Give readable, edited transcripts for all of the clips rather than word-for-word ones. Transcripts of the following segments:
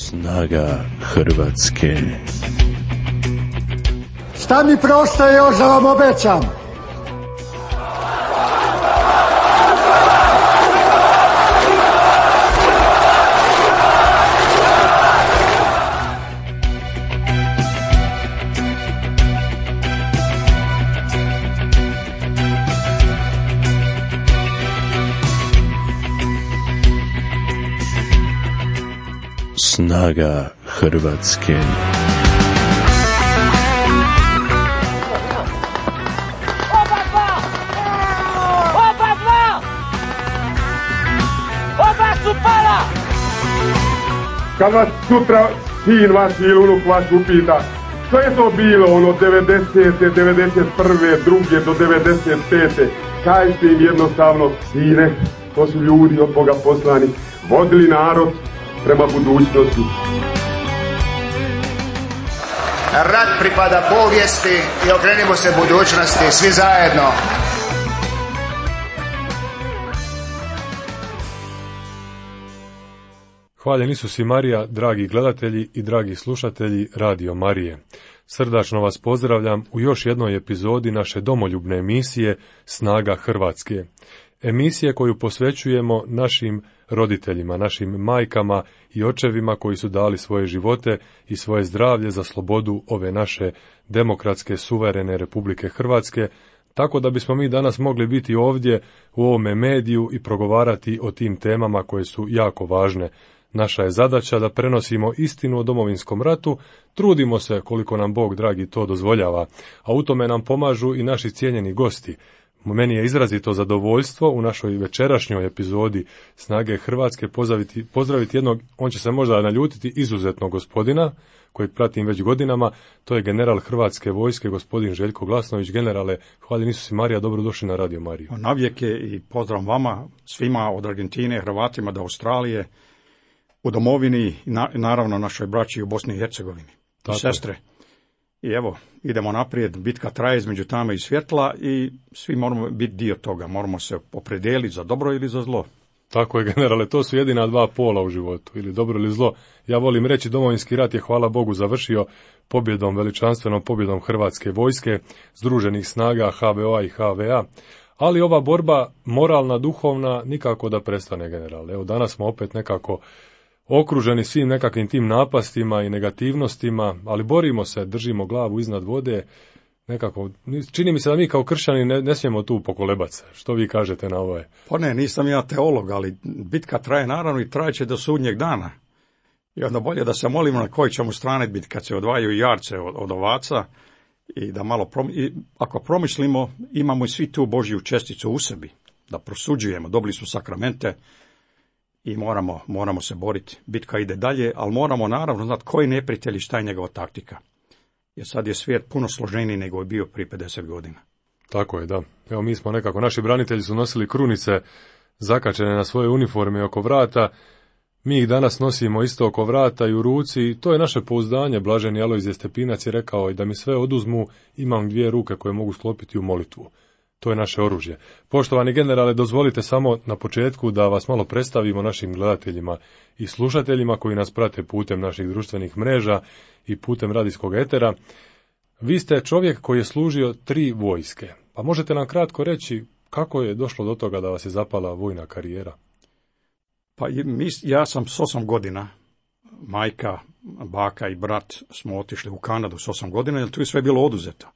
Snaga Hrvatske. Šta mi preostaje još da vam obećam? Snaga Hrvatske. Oba su pala! Kad vas sutra sin vaš ili unuk vaš upita što je to bilo ono 90. 91. druge do 95. Kažite im jednostavno, sine, to su ljudi od Boga poslani, vodili narod prema budućnosti. Rat pripada povijesti i okrenimo se budućnosti svi zajedno. Hvaljen Isus i Marija, dragi gledatelji i dragi slušatelji Radio Marije. Srdačno vas pozdravljam u još jednoj epizodi naše domoljubne emisije Snaga Hrvatske. Emisije koju posvećujemo našim roditeljima, našim majkama i očevima koji su dali svoje živote i svoje zdravlje za slobodu ove naše demokratske, suverene Republike Hrvatske, tako da bismo mi danas mogli biti ovdje u ovome mediju i progovarati o tim temama koje su jako važne. Naša je zadaća da prenosimo istinu o Domovinskom ratu, trudimo se koliko nam Bog dragi to dozvoljava, a u tome nam pomažu i naši cijenjeni gosti. Meni je izrazito zadovoljstvo u našoj večerašnjoj epizodi Snage Hrvatske pozdraviti jednog, on će se možda naljutiti, izuzetnog gospodina, kojeg pratim već godinama, to je general Hrvatske vojske, gospodin Željko Glasnović. Generale, hvaljen Isus i Marija, dobrodošli na Radio Mariju. Navijek je i pozdrav vama, svima od Argentine, Hrvatima do Australije, u domovini i naravno našoj braći u Bosni i Hercegovini. I sestre. I evo, idemo naprijed, bitka traje između tame i svjetla i svi moramo biti dio toga, moramo se opredijeliti za dobro ili za zlo. Tako je, generale, to su jedina dva pola u životu, ili dobro ili zlo. Ja volim reći, Domovinski rat je, hvala Bogu, završio pobjedom, veličanstvenom pobjedom Hrvatske vojske, združenih snaga HVO-a i HVA, ali ova borba moralna, duhovna, nikako da prestane, generale. Evo, danas smo opet nekako okruženi svim nekakvim tim napastima i negativnostima, ali borimo se, držimo glavu iznad vode, nekako, čini mi se da mi kao kršćani ne smijemo tu pokolebat se. Što vi kažete na ovo? Pa ne, nisam ja teolog, ali bitka traje naravno i trajeće do sudnjeg dana. I onda bolje da se molimo na koji ćemo strane biti kad se odvajaju jarce od ovaca i da malo, ako promislimo, imamo i svi tu Božju česticu u sebi, da prosuđujemo, dobili smo sakramente, i moramo se boriti. Bitka ide dalje, ali moramo naravno znati koji neprijatelj i šta je njegova taktika. Jer sad je svijet puno složeniji nego je bio prije 50 godina. Tako je, da. Evo, mi smo nekako, naši branitelji su nosili krunice zakačene na svoje uniforme oko vrata. Mi ih danas nosimo isto oko vrata i u ruci i to je naše pouzdanje. Blaženi Alojzije Stepinac je rekao i da mi sve oduzmu, imam 2 ruke koje mogu sklopiti u molitvu. To je naše oružje. Poštovani generale, dozvolite samo na početku da vas malo predstavimo našim gledateljima i slušateljima koji nas prate putem naših društvenih mreža i putem radijskog etera. Vi ste čovjek koji je služio 3 vojske. Pa možete nam kratko reći kako je došlo do toga da vas je zapala vojna karijera? Pa ja sam s 8 godina, majka, baka i brat smo otišli u Kanadu s 8 godina, jer tu je sve bilo oduzeto.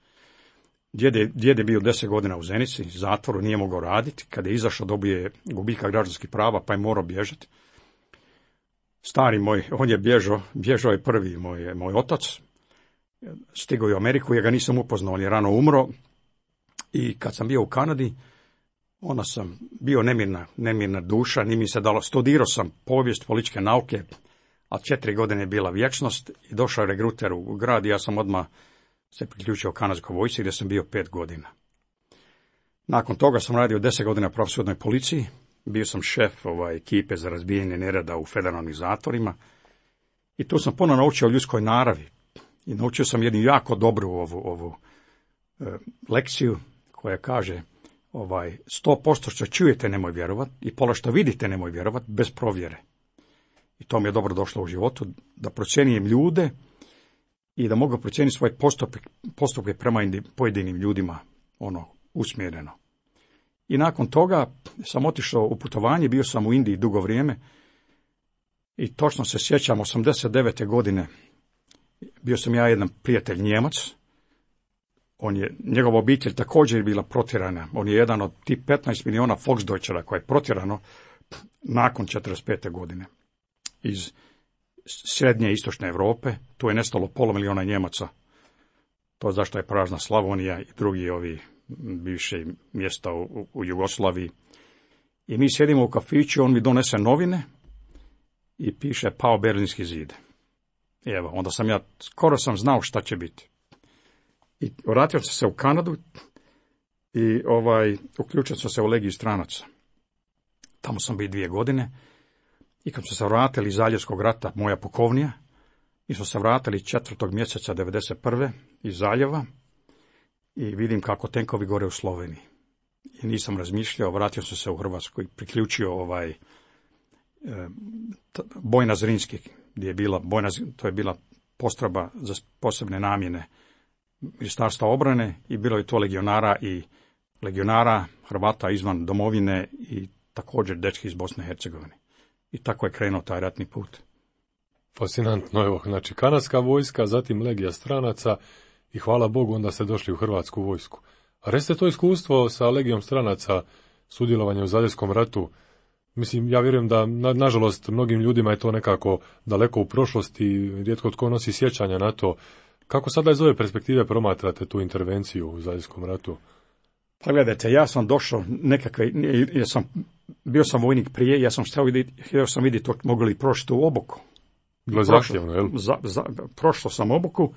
Djed je bio 10 godina u Zenici, zatvoru, nije mogao raditi. Kada je izašao, dobije gubitka građanskih prava, pa je morao bježati. Stari moj, on je bježao je prvi moj otac. Stigao je u Ameriku, ja ga nisam upoznao, on je rano umro. I kad sam bio u Kanadi, onda sam bio nemirna duša, nije mi se dalo, studirao sam povijest, političke nauke, a 4 godine je bila vječnost i došao je regruter u grad i ja sam odmah se priključio kanadskoj vojsci gdje sam bio 5 godina. Nakon toga sam radio 10 godina u pravosudnoj policiji, bio sam šef ekipe za razbijanje nereda u federalnim zatvorima i tu sam puno naučio o ljudskoj naravi i naučio sam jednu jako dobru ovu lekciju koja kaže 100% što čujete nemoj vjerovati i pola što vidite nemoj vjerovati bez provjere. i to mi je dobro došlo u životu, da procjenjujem ljude i da mogu procijeniti svoje postupke prema pojedinim ljudima, usmjereno. I nakon toga sam otišao u putovanje, bio sam u Indiji dugo vrijeme i točno se sjećam, 89. godine, bio sam ja jedan prijatelj Njemac, njegova obitelj također je bila protjerana, on je jedan od tih 15 miliona Volksdeutschera koje je protjerano nakon 45. godine iz srednje i istočne Europe, tu je nestalo 500 000 Njemaca, to zašto je prazna Slavonija i drugi ovi bivše mjesta u Jugoslaviji. I mi sjedimo u kafiću, on mi donese novine i piše pao Berlinski zid. I evo, onda skoro sam znao šta će biti. I vratio sam se u Kanadu i uključio sam se u Legiju stranaca. Tamo sam bio 2 godine i kad smo se vratili iz Zaljevskog rata, moja pukovnija, mi smo se vratili 4. mjeseca 1991. iz Zaljeva i vidim kako tenkovi gore u Sloveniji. I nisam razmišljao, vratio sam se u Hrvatsku i priključio Bojna Zrinski, gdje je bila to je bila postrojba za posebne namjene Ministarstva obrane i bilo je to legionara Hrvata izvan domovine i također dečki iz Bosne i Hercegovine. I tako je krenuo taj ratni put. Fascinantno, evo, znači kanadska vojska, zatim Legija stranaca i hvala Bogu onda ste došli u Hrvatsku vojsku. A recite to iskustvo sa Legijom stranaca, sudjelovanje u Zaljevskom ratu. Mislim, ja vjerujem da, nažalost, mnogim ljudima je to nekako daleko u prošlosti, rijetko tko nosi sjećanja na to. Kako sada iz ove perspektive promatrate tu intervenciju u Zaljevskom ratu? Pa gledajte, ja sam došao bio sam vojnik prije, ja sam htio sam vidjeti mogu li prošli u obuku. Bilo zahtjevno, jel? Prošlo sam obuku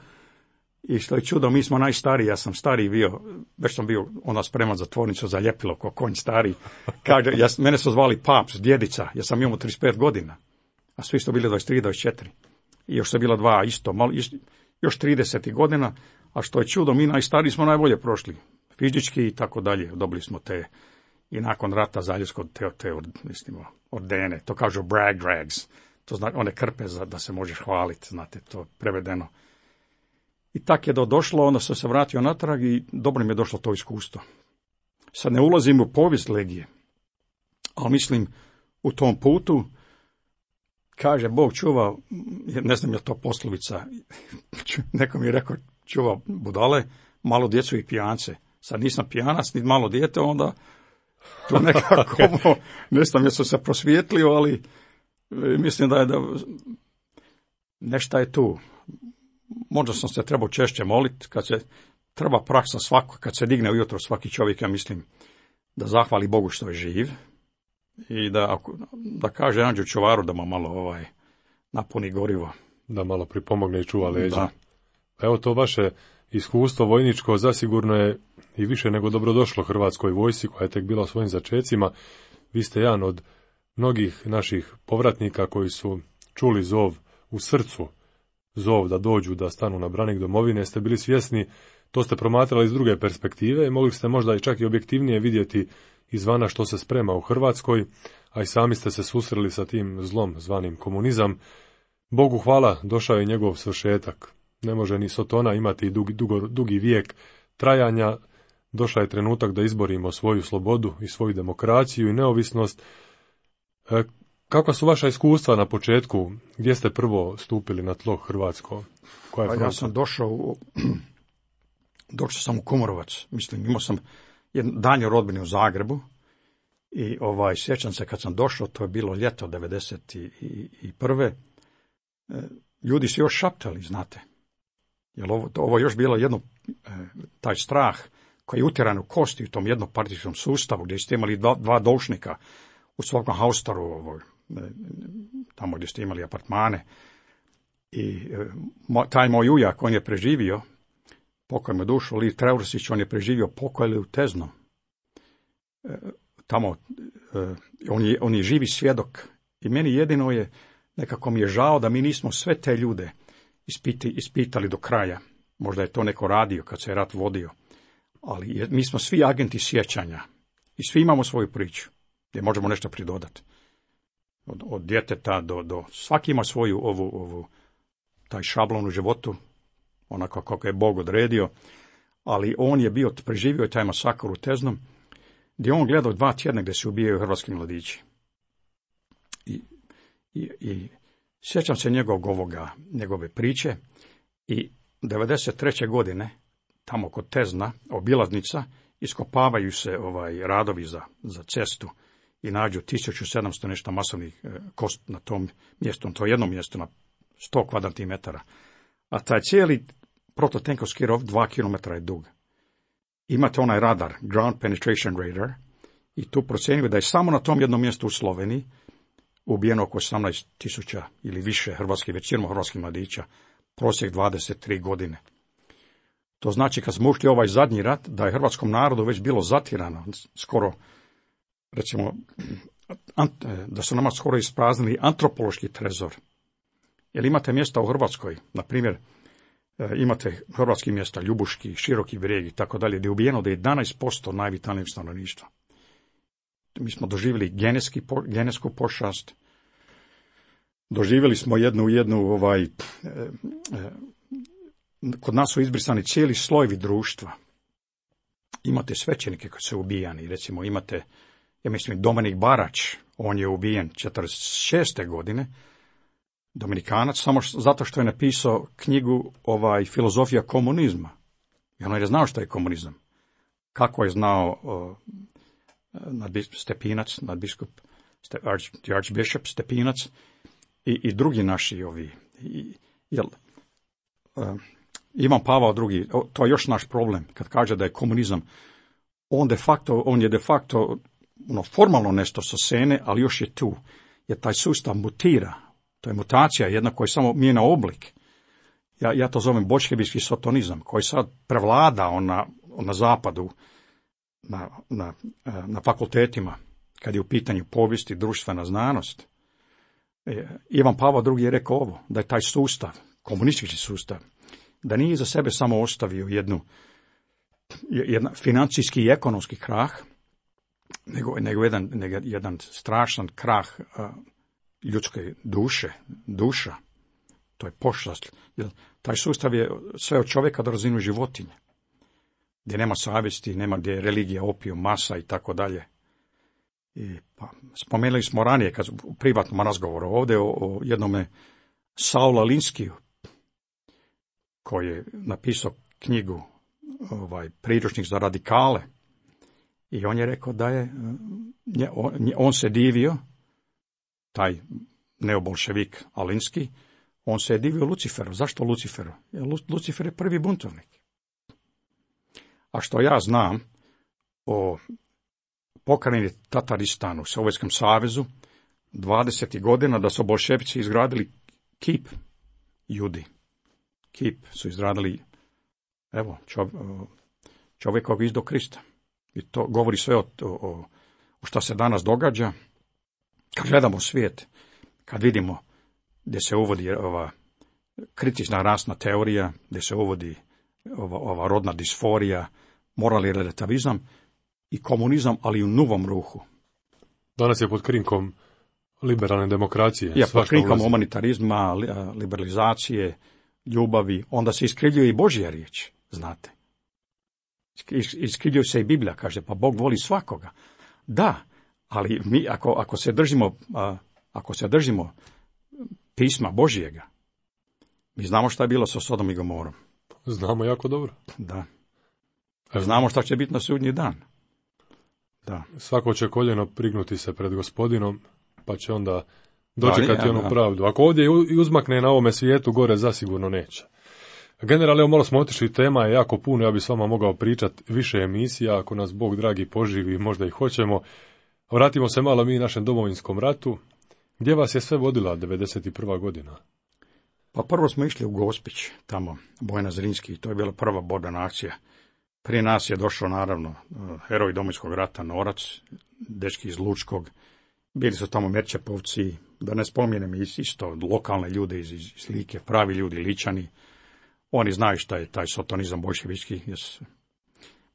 i što je čudo, mi smo najstariji, ja sam stariji bio, već sam bio onda spreman za tvornicu za ljepilo, ko konj stariji. Kaže, mene su zvali Paps, djedica, ja sam imao 35 godina, a svi su bili 23, 24. I još su bila 2 isto, još 30 godina, a što je čudo, mi najstariji smo najbolje prošli, fizički i tako dalje, dobili smo te, i nakon rata Zaljevskog te ordene, to kažu brag rags, to znači one krpe da se možeš hvaliti, znate, to prevedeno. I tak je došlo, onda sam se vratio natrag i dobro mi je došlo to iskustvo. Sad ne ulazim u povijest Legije, ali mislim u tom putu, kaže Bog čuva, ne znam je to poslovica, neko mi je rekao čuva budale, malo djecu i pijance. Sad nisam pijanac, ni malo dijete, onda to nekako, ne znam jesu se prosvijetlio, ali mislim da nešto je tu. Možda sam se trebao češće moliti, kad se treba praksa svako, kad se digne ujutro svaki čovjek, ja mislim da zahvali Bogu što je živ i da kaže Anđu čuvaru da mu malo napuni gorivo. Da malo pripomogne i čuva leđa. Da. Evo to vaše iskustvo vojničko zasigurno je i više nego dobrodošlo Hrvatskoj vojsci koja je tek bila u svojim začecima. Vi ste jedan od mnogih naših povratnika koji su čuli zov u srcu, zov da dođu, da stanu na branik domovine, ste bili svjesni, to ste promatrali iz druge perspektive i mogli ste možda i čak i objektivnije vidjeti izvana što se sprema u Hrvatskoj, a i sami ste se susreli sa tim zlom zvanim komunizam. Bogu hvala, došao je njegov svršetak. Ne može ni Sotona imati dugi vijek trajanja. Došao je trenutak da izborimo svoju slobodu i svoju demokraciju i neovisnost. Kakva su vaša iskustva na početku? Gdje ste prvo stupili na tlo hrvatsko? Ja sam došao sam u Kumorovac. Mislim, imao sam daljnju rodbinu u Zagrebu i sjećam se kad sam došao, to je bilo ljeto 1991. Ljudi su još šaptali, znate. Jer ovo još bilo jedno, taj strah koji je utjeran u kosti u tom jednopartijskom sustavu gdje ste imali dva doušnika u svakom haustoru, tamo gdje ste imali apartmane. I taj moj ujak, on je preživio, pokoj mu dušu, Liv Treursić, on je preživio pokoj u Teznom. Tamo, on je živi svjedok. I meni jedino je, nekako mi je žao da mi nismo sve te ljude ispitali do kraja. Možda je to neko radio kad se je rat vodio. Ali mi smo svi agenti sjećanja. I svi imamo svoju priču gdje možemo nešto pridodati. od djeteta do svaki ima svoju taj šablon u životu, onako kako je Bog odredio, ali on je preživio taj masakr u Teznom, gdje on gledao 2 tjedna gdje se ubijaju hrvatski mladići. I sjećam se njegove priče i 93. godine, tamo kod Tezna, obilaznica, iskopavaju se radovi za cestu i nađu 1700 nešto masovnih kosti na tom mjestu, to jedno mjesto na 100 kvadratnih metara. A taj cijeli prototenkovski rov 2 km je dug. Imate onaj radar, Ground Penetration Radar, i tu procjenjuje da je samo na tom jednom mjestu u Sloveniji ubijeno oko 18.000 ili više hrvatskih, većinom hrvatskih mladića, prosjek 23 godine. To znači kad smo ušli ovaj zadnji rat, da je hrvatskom narodu već bilo zatirano, skoro, recimo, da su nama skoro ispraznili antropološki trezor. Jer imate mjesta u Hrvatskoj, na primjer, imate hrvatski mjesta, Ljubuški, Široki Brijeg i tako dalje, gdje je ubijeno da je 11% najvitalnijeg stanovništva. Mi smo doživjeli genetsku pošast, doživjeli smo kod nas su izbrisani cijeli slojevi društva. Imate svećenike koji su ubijani, recimo imate, ja mislim, Dominik Barač, on je ubijen 46. godine, Dominikanac, samo zato što je napisao knjigu Filozofija komunizma. I on je znao što je komunizam. Kako je znao Stepinac, nadbiskup, Archbishop Stepinac i drugi naši Ivan Pavao II, to je još naš problem, kad kaže da je komunizam, on je de facto formalno nešto sa scene, ali još je tu, jer taj sustav mutira. To je mutacija jedna koja samo mijenja oblik. Ja to zovem boljševijski sotonizam, koji sad prevlada na zapadu, na fakultetima, kad je u pitanju povijest i društvena znanost. Ivan Pavao II je rekao ovo, da je taj sustav, komunistički sustav, da nije za sebe samo ostavio jedan financijski i ekonomski krah, nego jedan strašan krah ljudske duša. To je pošast. Taj sustav je sve od čovjeka do razinu životinje, gdje nema savjesti, gdje je religija, opijum, masa i tako dalje. Spomenuli smo ranije, kad u privatnom razgovoru ovdje, o jednome Saula Linskiju, koji je napisao knjigu priručnik za radikale. I on je rekao da on se divio, taj neobolševik Alinski, on se je divio Luciferu. Zašto Luciferu? Jer Lucifer je prvi buntovnik. A što ja znam o pokrajini Tataristanu u Sovjetskom savezu 20. godina, da su bolševici izgradili kip Judi. Kip su izradili, čovjekog izdo Krista. I to govori sve o što se danas događa. Kad gledamo svijet, kad vidimo gdje se uvodi ova kritična rasna teorija, gdje se uvodi ova rodna disforija, moralni relativizam i komunizam, ali u novom ruhu. Danas je pod krinkom liberalne demokracije. Ja, pod krinkom humanitarizma, liberalizacije, ljubavi, onda se iskrivljuje i Božja riječ, znate. Iskrivljuje se i Biblija, kaže, pa Bog voli svakoga. Da, ali mi ako se držimo pisma Božjega, mi znamo šta je bilo sa Sodom i Gomorom. Znamo jako dobro. Da. Znamo šta će biti na sudnji dan. Da. Svako će koljeno prignuti se pred Gospodinom, pa će onda dočekati onu pravdu. Ako ovdje uzmakne na ovome svijetu, gore zasigurno neće. Generalno, evo malo smo otišli, tema je jako puno, ja bi s vama mogao pričati više emisija, ako nas Bog dragi poživi, možda i hoćemo. Vratimo se malo mi našem domovinskom ratu. Gdje vas je sve vodila 91. godina? Pa prvo smo išli u Gospić, tamo, Bojana Zrinski, to je bila prva borbena akcija. Prije nas je došao, naravno, heroj Domovinskog rata, Norac, dečki iz Lučkog. Bili su tamo Merčepovci, da ne spomenem isto lokalne ljude iz Like, pravi ljudi, Ličani. Oni znaju šta je taj sotonizam boljševički.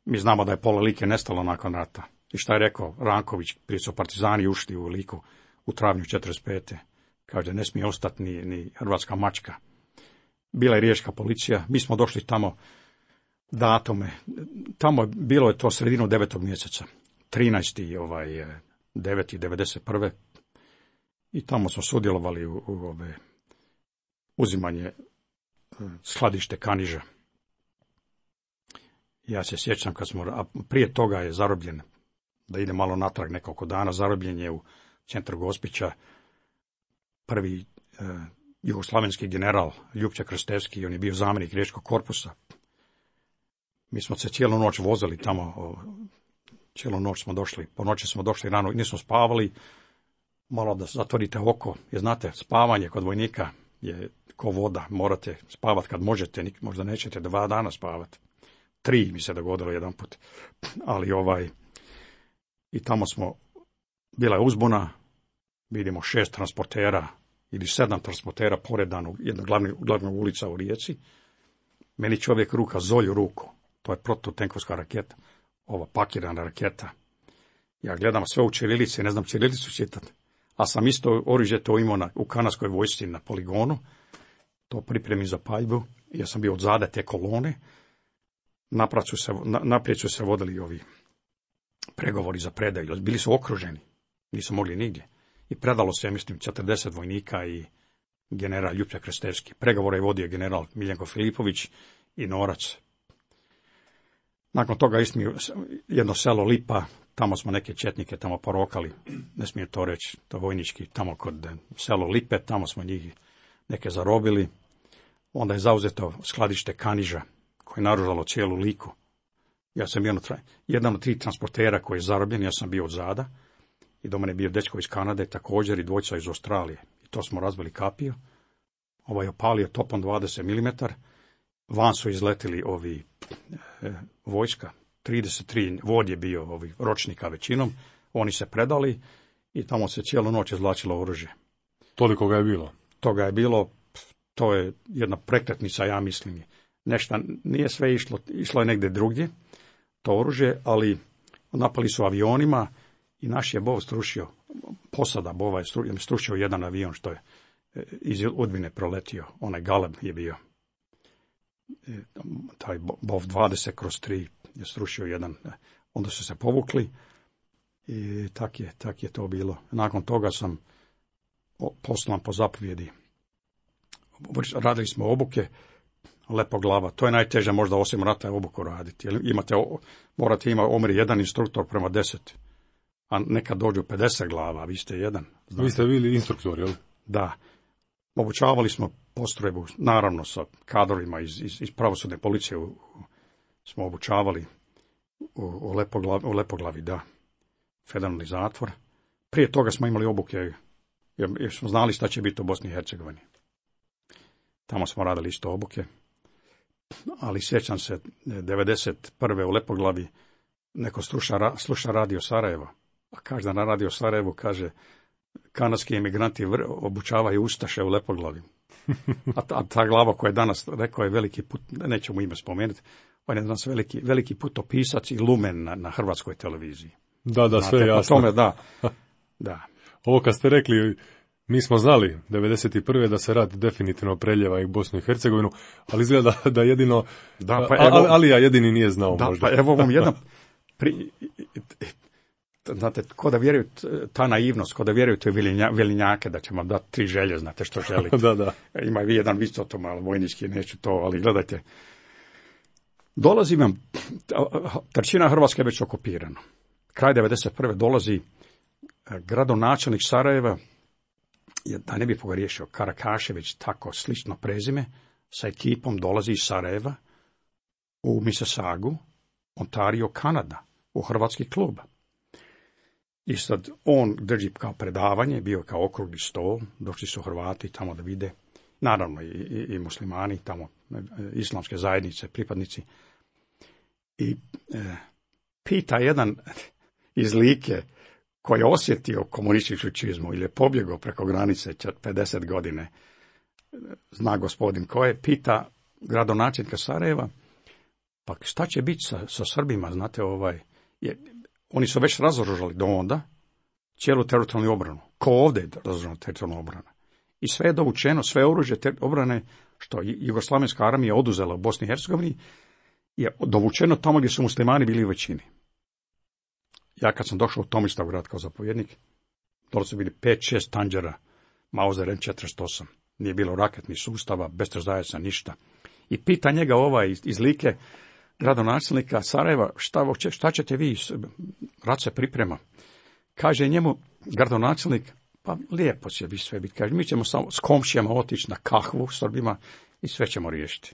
Mi znamo da je pola Like nestalo nakon rata. I šta je rekao Ranković, prije su partizani ušli u Liku u travnju 45. Kaže, ne smije ostati ni hrvatska mačka. Bila je riječka policija, mi smo došli tamo datume, tamo bilo je to sredinu 9. mjeseca, 13. 9. 91. I tamo smo sudjelovali u uzimanje skladište Kaniža. Ja se sjećam kad smo, a prije toga je zarobljen, da ide malo natrag nekoliko dana, zarobljen je u centru Gospića prvi jugoslavenski general Ljupče Krstevski, on je bio zamjenik riječkog korpusa. Mi smo se cijelu noć vozili tamo, cijelu noć smo došli, po noći smo došli rano, nismo spavali, malo da zatvorite oko, jer znate, spavanje kod vojnika je ko voda, morate spavati kad možete, možda nećete 2 dana spavati. 3 mi se dogodilo jedan put, ali i tamo smo, bila je uzbuna, vidimo 6 transportera ili 7 transportera poredano, jedna glavna ulica u Rijeci. Meni čovjek ruka zolju ruku, to je protutenkovska raketa, ova pakirana raketa. Ja gledam sve u ćirilici, ne znam ćirilicu čitati, a sam isto oružje to imao u kanadskoj vojsci na poligonu, to pripremi za paljbu, ja sam bio odzada te kolone, naprijed su se vodili ovi pregovori za predaju, bili su okruženi, nisu mogli nigdje. I predalo se, mislim, 40 vojnika i general Ljupče Krstevski. Pregovore je vodio general Miljenko Filipović i Norac. Nakon toga jedno selo Lipa, tamo smo neke četnike tamo porokali, ne smije to reći, to vojnički, tamo kod selo Lipe, tamo smo njih neke zarobili. Onda je zauzeto skladište Kaniža, koje je naružalo cijelu Liku. Ja sam bio jedan od 3 transportera koji je zarobljen, ja sam bio od zada. I do mene je bio dečko iz Kanade, također i 2 iz Australije. I to smo razbili kapiju. Ovaj opalio topom 20 mm. Van su izletili ovi vojska. 33 vod je bio ročnika većinom. Oni se predali i tamo se cijelu noć izvlačilo oružje. Toliko ga je bilo? Toga je bilo, to je jedna prekretnica, ja mislim. Nešto nije sve išlo je negdje drugdje, to oružje, ali napali su avionima i naš je Bov strušio, posada Bova je strušio jedan avion što je iz Udbine proletio, onaj Galeb je bio. Taj Bov 20/3 je strušio jedan, onda su se povukli i tak je to bilo. Nakon toga sam poslan po zapovjedi. Radili smo obuke, Lepoglava, to je najteže možda osim rata obuku raditi. Morate imati omjer 1 instruktor prema 10, a nekad dođu 50 glava, vi ste jedan. Znate. Vi ste bili instruktor, jel? Da. Obučavali smo postrojbu, naravno sa kadrovima iz pravosudne policije smo obučavali u Lepoglavi, da. Federalni zatvor. Prije toga smo imali obuke, jer smo znali šta će biti u Bosni i Hercegovini. Tamo smo radili isto obuke. Ali sjećam se, 91. u Lepoglavi neko sluša radio Sarajevo. A kaže na radio Sarajevu, kaže, kanadski emigranti obučavaju ustaše u Lepoglavi. A ta glava koja je danas, rekao je veliki put, nećemo ime spomenuti, on je danas veliki putopisac i lumen na hrvatskoj televiziji. Da, znate, sve jasno. Tome, da. Ovo kad ste rekli, mi smo znali 91. da se rat definitivno preljeva i Bosnu i Hercegovinu, ali izgleda da jedino, Alija jedini nije znao možda. Pa evo vam jedan, znate, ko da vjeruju, ta naivnost, ko da vjeruju te Velinjake, da će vam dati 3 želje, znate što želite. Da. Ima vi jedan visoto malo vojnički, neću to, ali gledajte. Dolazi vam, trećina Hrvatske je već okupirana. Kraj 91. dolazi gradonačelnik Sarajeva, da ne bi pogriješio, Karakašević, tako slično prezime, sa ekipom dolazi iz Sarajeva u Mississaugu, Ontario, Kanada, u hrvatski klub. I sad on drži kao predavanje, bio kao okrugli stol, došli su Hrvati tamo da vide, naravno i muslimani, tamo islamske zajednice, pripadnici. I pita jedan iz Like, koji je osjetio komunističku čizmu ili je pobjegao preko granice 50 godine, zna gospodin koje, pita gradonačelnika Sarajeva, pa šta će biti sa Srbima, znate, oni su već razoružali do onda cijelu teritorijalnu obranu. Ko ovdje je razoružana teritorijalna obrana. I sve je dovučeno, sve oružje obrane što Jugoslavenska armija oduzela u Bosni i Hercegovini je dovučeno tamo gdje su muslimani bili u većini. Ja kad sam došao u Tomislavgrad kao zapovjednik, dole su bili 5-6 tanđera Mauser M48. Nije bilo raketnih sustava, bestrzajaca, ništa. I pita njega iz Like, gradonačelnika Sarajeva, šta ćete vi, rat se priprema. Kaže njemu gradonačelnik, pa lijepo će vi sve biti. Kaže, mi ćemo samo s komšijama otići na kahvu Srbima i sve ćemo riješiti.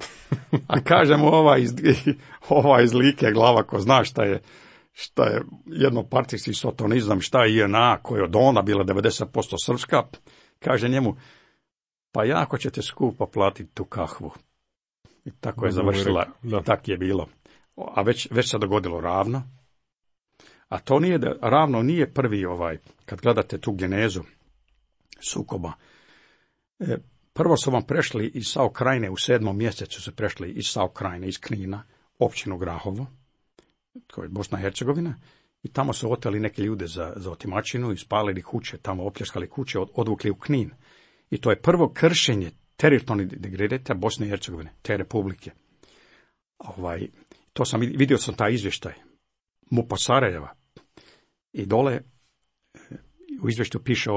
A kažemo ova iz Like glava ko zna šta je jednopartijski sotonizam, šta je JNA koja je od ona bila 90% srpska, kaže njemu, pa jako ćete skupo platiti tu kahvu. I tako je završila, tako je bilo. A već se dogodilo Ravno. A to nije Ravno nije prvi kad gledate tu genezu sukoba. Prvo su vam prešli iz SAO Krajine, u 7. mjesecu su prešli iz SAO Krajine, iz Knina, općinu Grahovo, to je Bosna i Hercegovina, i tamo su oteli neke ljude za otimačinu i spalili kuće, tamo opljačkali kuće, odvukli u Knin. I to je prvo kršenje teritorijalnog integriteta Bosne i Hercegovine, te republike. To sam vidio taj izvještaj MUP-a Sarajeva. I dole u izvještaju piše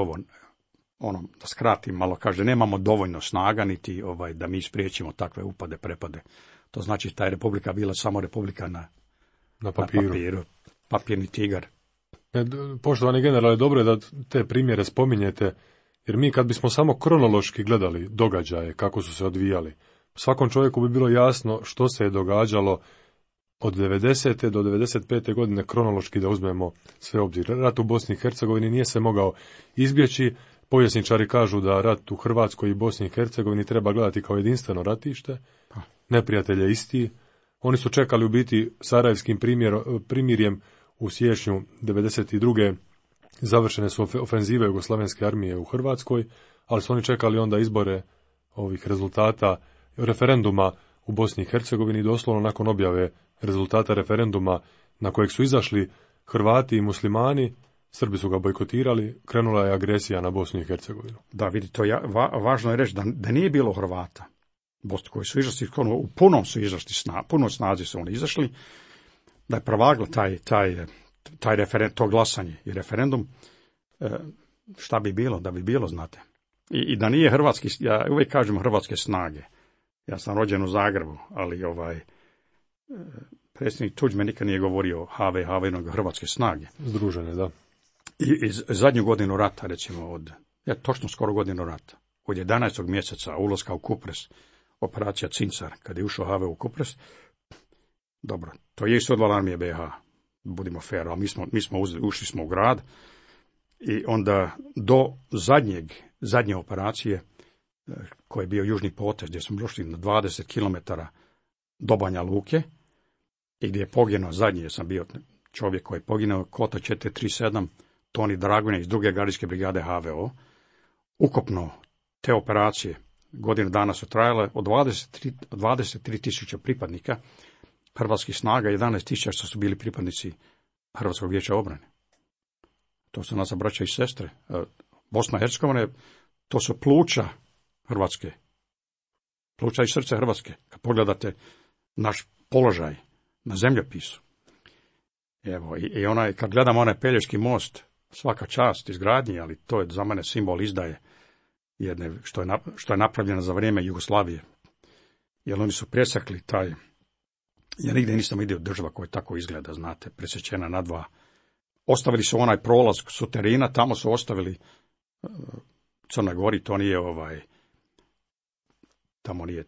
da skratim malo, kaže, nemamo dovoljno snaga niti da mi spriječimo takve upade, prepade. To znači ta je republika bila samo republika na papiru. Papirni tigar. Poštovani generale, dobro je da te primjere spominjete, jer mi kad bismo samo kronološki gledali događaje, kako su se odvijali, svakom čovjeku bi bilo jasno što se je događalo od 90. do 95. godine kronološki da uzmemo sve obzir. Rat u Bosni i Hercegovini nije se mogao izbjeći. Povjesničari kažu da rat u Hrvatskoj i Bosni i Hercegovini treba gledati kao jedinstveno ratište. Neprijatelj je isti. Oni su čekali u biti sarajevskim primirjem u siječnju 92. Završene su ofenzive Jugoslavenske armije u Hrvatskoj, ali su oni čekali onda izbore ovih rezultata referenduma u Bosni i Hercegovini. Doslovno nakon objave rezultata referenduma na kojeg su izašli Hrvati i muslimani, Srbi su ga bojkotirali, krenula je agresija na Bosnu i Hercegovinu. Da, vidite, važno je reći da nije bilo Hrvata koji su izašli, u punom snazi su oni izašli, da je prevaglo taj referendum, to glasanje i referendum, šta bi bilo, da bi bilo, znate. I da nije hrvatski, ja uvijek kažem hrvatske snage. Ja sam rođen u Zagrebu, ali predsjednik Tuđman nikad nije govorio HV, nego hrvatske snage. Združene, da. I zadnju godinu rata, recimo, točno skoro godinu rata, od 11. mjeseca ulaska u Kupres, operacija Cincar, kad je ušao HV u Kupres, dobro, to je isto odvala armije BiH, budimo fair, ali ušli smo u grad i onda do zadnje operacije, koji je bio južni potez, gdje smo došli na 20 km do Banja Luke i gdje je poginuo zadnji, sam bio čovjek koji je poginuo, Kota 437, Toni Dragonja iz 2. gardijske brigade HVO. Ukupno te operacije godinu dana su trajale od 23.000 pripadnika hrvatskih snaga, 11.000 što su bili pripadnici Hrvatskog vijeća obrane. To su naša braća i sestre. Bosna i Hercegovina, to su pluća Hrvatske. Pluća i srce Hrvatske. Kad pogledate naš položaj na zemljopisu. Evo, i kad gledamo onaj Pelješki most, svaka čast izgradnji, ali to je za mene simbol izdaje jedne, što je napravljeno za vrijeme Jugoslavije. Jer oni su presakli taj, ja nigdje nisam vidio država koja tako izgleda, znate, presječena na dva. Ostavili su onaj prolaz suterina, tamo su ostavili Crnoj Gori, to nije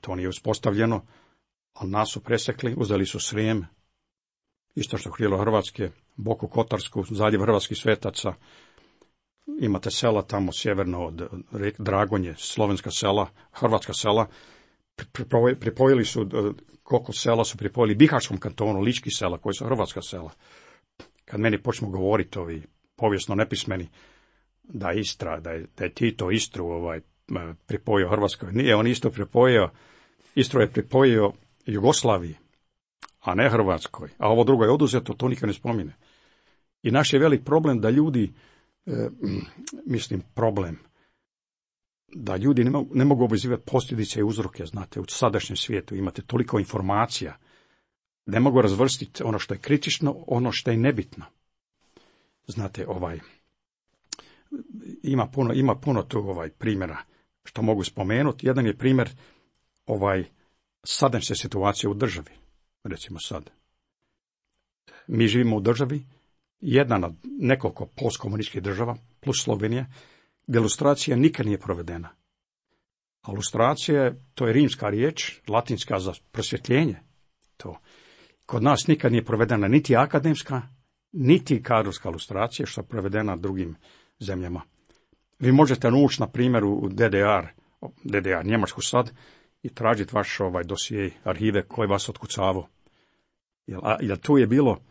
to nije uspostavljeno, ali nas su presekli, uzeli su Srijem, istočno krilo Hrvatske, Boku Kotarsku, zaljev Hrvatskih Svetaca, imate sela tamo sjeverno od Dragonje, slovenska sela, hrvatska sela, pripojili su, koliko sela su pripojili Bihaćkom kantonu, lički sela, koji su hrvatska sela. Kad meni počnu govoriti ovi povijesno nepismeni, da Istra, da je Tito Istru pripojio Hrvatskoj. Nije on isto pripojio, Istru je pripojio Jugoslaviji, a ne Hrvatskoj. A ovo drugo je oduzeto, to nikad ne spomine. I naš je velik problem da ljudi mislim, problem. Da ljudi ne mogu obvezivati posljedice i uzroke, znate, u sadašnjem svijetu imate toliko informacija, ne mogu razvrstiti ono što je kritično, ono što je nebitno. Znate, ima puno tu primjera što mogu spomenuti. Jedan je primjer sadašnje situacije u državi. Recimo sad. Mi živimo u državi, jedna od nekoliko postkomunističkih država, plus Slovenija, gdje lustracija nikad nije provedena. A lustracija, to je rimska riječ, latinska za prosvjetljenje. To. Kod nas nikad nije provedena niti akademska, niti kadrovska lustracija, što je provedena drugim zemljama. Vi možete ući, na primjer, u DDR, Njemačku sad, i tražiti vaš dosije, arhive koji vas otkucavao. Jer tu je bilo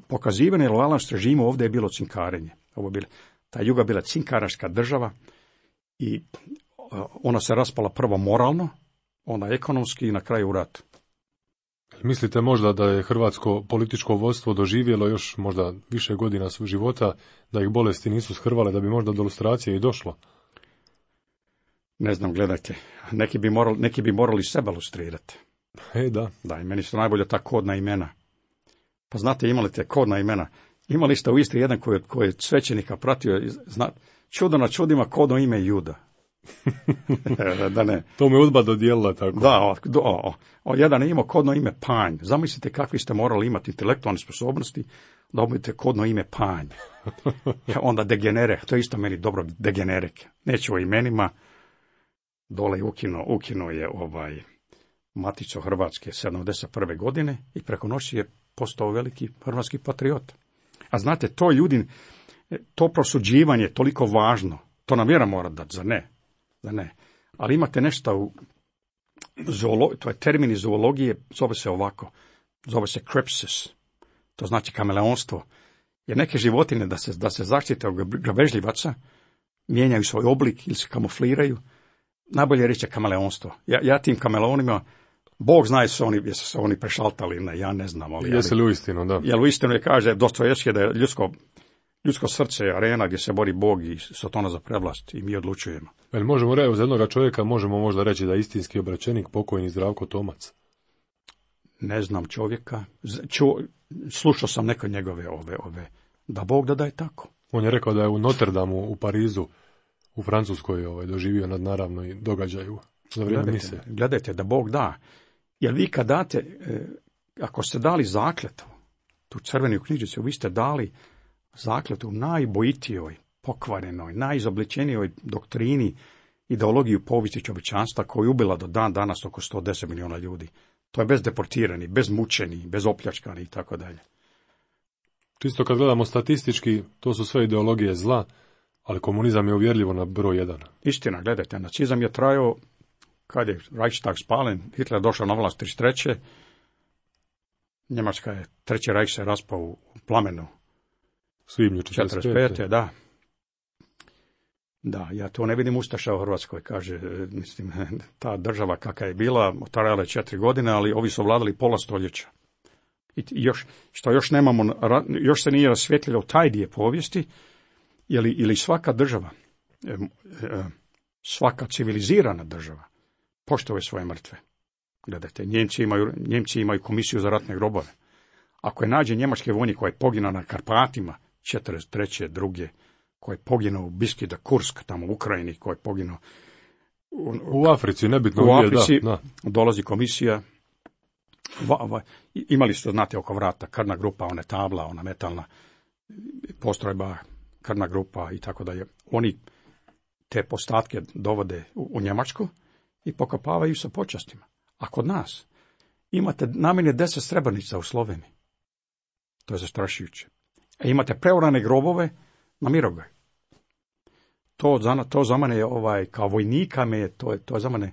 pokazivanje lojalnost režimu, ovdje je bilo cinkarenje. Ta Juga bila cinkaraška država i ona se raspala prvo moralno, onda ekonomski i na kraju u ratu. Mislite možda da je hrvatsko političko vodstvo doživjelo još možda više godina svog života, da ih bolesti nisu shrvale, da bi možda do lustracije i došlo? Ne znam, gledajte, neki bi morali sebe lustrirati. Da. Da, i meni su najbolje ta kodna imena. Pa znate, imali te kodna imena. Imali ste u Istri jedan koji je svećenika pratio, čudo na čudima, kodno ime Juda. Da ne. To me Udba dodijelila tako. Da, jedan je imao kodno ime Panj. Zamislite kakvi ste morali imati intelektualne sposobnosti da obavite kodno ime Panj. Onda degenere, to je isto meni dobro, degenerek. Neću o imenima, dole ukinuo je Maticu Hrvatske 71. godine i preko noći je postao veliki hrvatski patriot. A znate, to prosuđivanje je toliko važno, to nam vjera mora dati, zar ne? Ali imate nešto to je termin iz zoologije, zove se ovako, zove se kripsis, to znači kameleonstvo. Jer neke životinje da se zaštite od grabežljivaca, mijenjaju svoj oblik ili se kamufliraju, najbolje reći je kameleonstvo. Ja tim kameleonima, Bog zna jesu se oni prešaltali, ne, ja ne znam. Jesi li uistinu, da? Jer uistinu je kaže Dostojevski da je ljudsko srce je arena gdje se bori Bog i Sotona za prevlast i mi odlučujemo. Možemo reći, za jednoga čovjeka možemo možda reći da je istinski obraćenik pokojni Zdravko Tomac. Ne znam čovjeka. Slušao sam neke njegove ove. Da Bog da je tako. On je rekao da je u Notre Damu u Parizu, u Francuskoj doživio nadnaravno događaju za vrijeme mise. Gledajte, da Bog da. Jer vi kad date, ako ste dali zakletvu, tu crvenu knjižicu, vi ste dali zakletvu najbojitijoj, pokvarenoj, najizobličenijoj doktrini, ideologiju povijesti čovječanstva koju je ubila do dan danas oko 110 milijuna ljudi. To je bez deportiranih, bez mučenih, bez opljačkanih i tako dalje. Čisto kad gledamo statistički, to su sve ideologije zla, ali komunizam je uvjerljivo na broj 1. Istina, gledajte, nacizam je trajao, kad je Reichstag spalen, Hitler je došao na vlast 33. Njemačka je, Treći Reich se raspao u plamenu. Svibnju 45. Da. Da, ja to ne vidim ustaša u Hrvatskoj, kaže, mislim, ta država kakva je bila, trajala je 4 godine, ali ovi su vladali pola stoljeća. I još nemamo, još se nije rasvjetljilo taj dio povijesti, ili svaka država, svaka civilizirana država poštuje svoje mrtve. Gledajte, Njemci imaju komisiju za ratne grobove. Ako je nađe njemački vojnik koji je poginuo na Karpatima, 43. druge, koji je poginuo u Biski da Kursk, tamo u Ukrajini, koji je poginuo u Africi, nebitno. U Africi dolazi komisija. Imali su, znate, oko vrata krvna grupa, ona tabla, ona metalna postrojba, krvna grupa i tako dalje. Oni te postatke dovode u Njemačku i pokopavaju sa počastima. A kod nas imate najmanje 10 Srebrenica u Sloveniji. To je zastrašujuće. Imate preorane grobove na Mirogoj. To za mene je kao vojnika to je za mene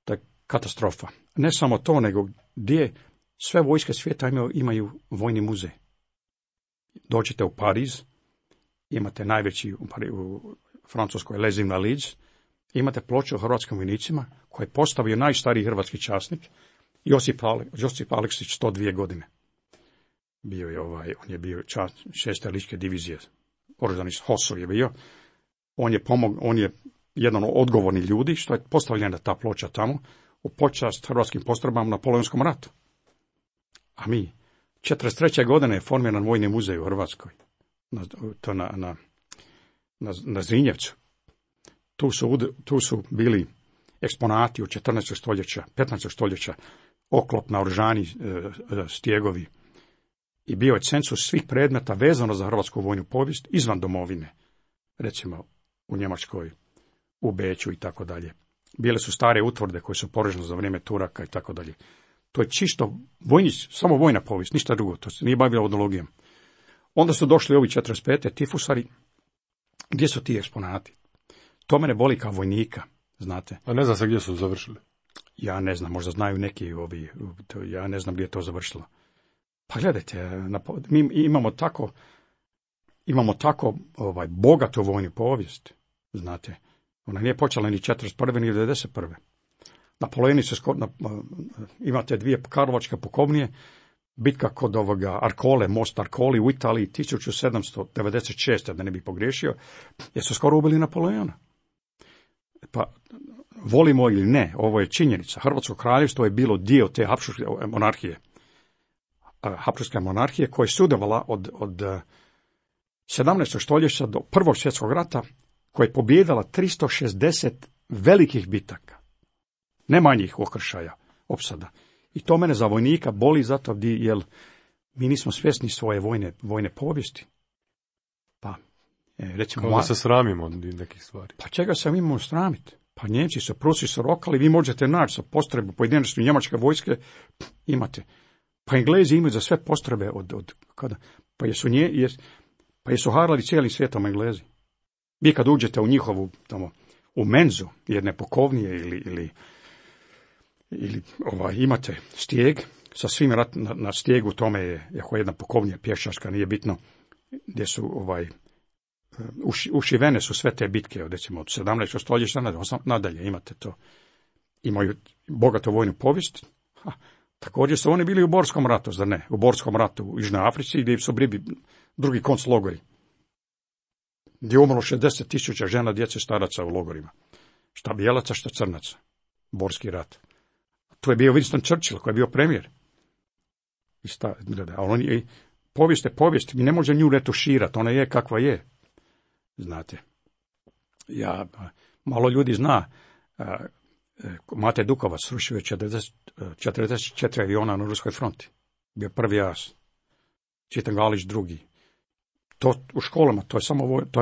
to je katastrofa. Ne samo to, nego gdje sve vojske svijeta imaju vojni muzej. Dođete u Pariz, imate najveći u Francuskoj Les Invalides, imate ploču o hrvatskim vojnicima koje je postavio najstariji hrvatski časnik Josip Aleksić 102 godine. bio je on je bio čast 6. ličke divizije, oružani HOS-ov je bio. On je jedan od odgovornih ljudi što je postavljena ta ploča tamo u počast hrvatskim postrojbama u Napoleonskom ratu. A mi, 43. godine je formiran Vojni muzej u Hrvatskoj, na Zrinjevcu. Tu su bili eksponati od 14. stoljeća, 15. stoljeća, oklop, naoružani stjegovi. I bio je cenzus svih predmeta vezano za hrvatsku vojnu povijest izvan domovine. Recimo u Njemačkoj, u Beču i tako dalje. Bile su stare utvrde koje su porežene za vrijeme Turaka i tako dalje. To je čisto samo vojna povijest, ništa drugo. To se nije bavilo odologijom. Onda su došli ovi 45. tifusari. Gdje su ti eksponati? To mene boli kao vojnika, znate. A ne znam se gdje su završili. Ja ne znam, možda znaju neki ja ne znam gdje je to završilo. Pa gledajte, mi imamo tako bogatu vojnu povijest, znate. Ona nije počela ni 41. ni 91. Napoleoni se imate 2 karlovačke pukovnije, bitka kod Arkole, most Arkoli u Italiji 1796. da ne bi pogriješio, jer su skoro ubili Napoleona. Pa volimo ili ne, ovo je činjenica. Hrvatsko kraljevstvo je bilo dio te Habsburške monarhije. Habsburške monarhije koja je sudjelovala od 17. stoljeća do Prvog svjetskog rata, koja je pobijedila 360 velikih bitaka. Ne manjih okršaja, opsada. I to mene za vojnika boli zato jer mi nismo svjesni svoje vojne povijesti. Pa, recimo... Kao da se sramimo od nekih stvari. Pa čega se mi imamo sramiti? Pa Njemci su, Prusi su rokali, vi možete naći sa postrojbu pojedinačne njemačke vojske, imate. Pa Englezi imaju za sve postrojbe od kada? Pa jesu harali cijelim svijetom Englezi. Vi kad uđete u njihovu, tamo, u menzu, jedne pukovnije ili imate stijeg, sa svim na stijegu tome je jedna pukovnija pješačka, nije bitno, gdje su ušivene su sve te bitke, recimo od 17. stoljeća nadalje imate to. Imaju bogatu vojnu povijest. Također su oni bili u Borskom ratu, zar ne? U Borskom ratu u Južnoj Africi gdje su bili drugi konclogori. Gdje je umrlo 60.000 žena, djece, staraca u logorima. Šta bijelaca, šta crnaca. Borski rat. To je bio Winston Churchill koji je bio premijer. Povijest je povijest, mi ne možemo nju retuširati, ona je kakva je. Znate, malo ljudi zna, Mate Dukovac srušio je 44 aviona na ruskoj fronti. Bio prvi as. Čitan Galić drugi. To u školama, to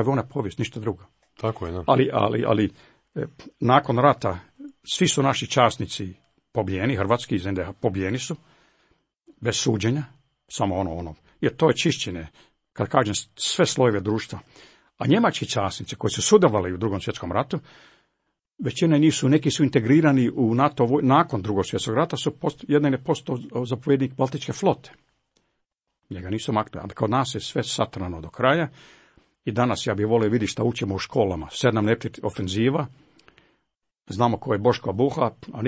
je vojna povijest, ništa drugo. Tako je, da. Ali nakon rata svi su naši časnici pobijeni, hrvatski iz NDH pobijeni su, bez suđenja, samo jer to je čišćenje, kad kažem sve slojeve društva. A njemački časnici koji su sudjelovali u Drugom svjetskom ratu, većina nisu, neki su integrirani u NATO nakon Drugog svjetskog rata, jedan je postao zapovjednik Baltičke flote. Njega nisu maknuli, ali kod nas je sve satrano do kraja i danas ja bih volio vidjeti šta učimo u školama. 7 neprijateljskih ofenziva, znamo ko je Boško Buha, a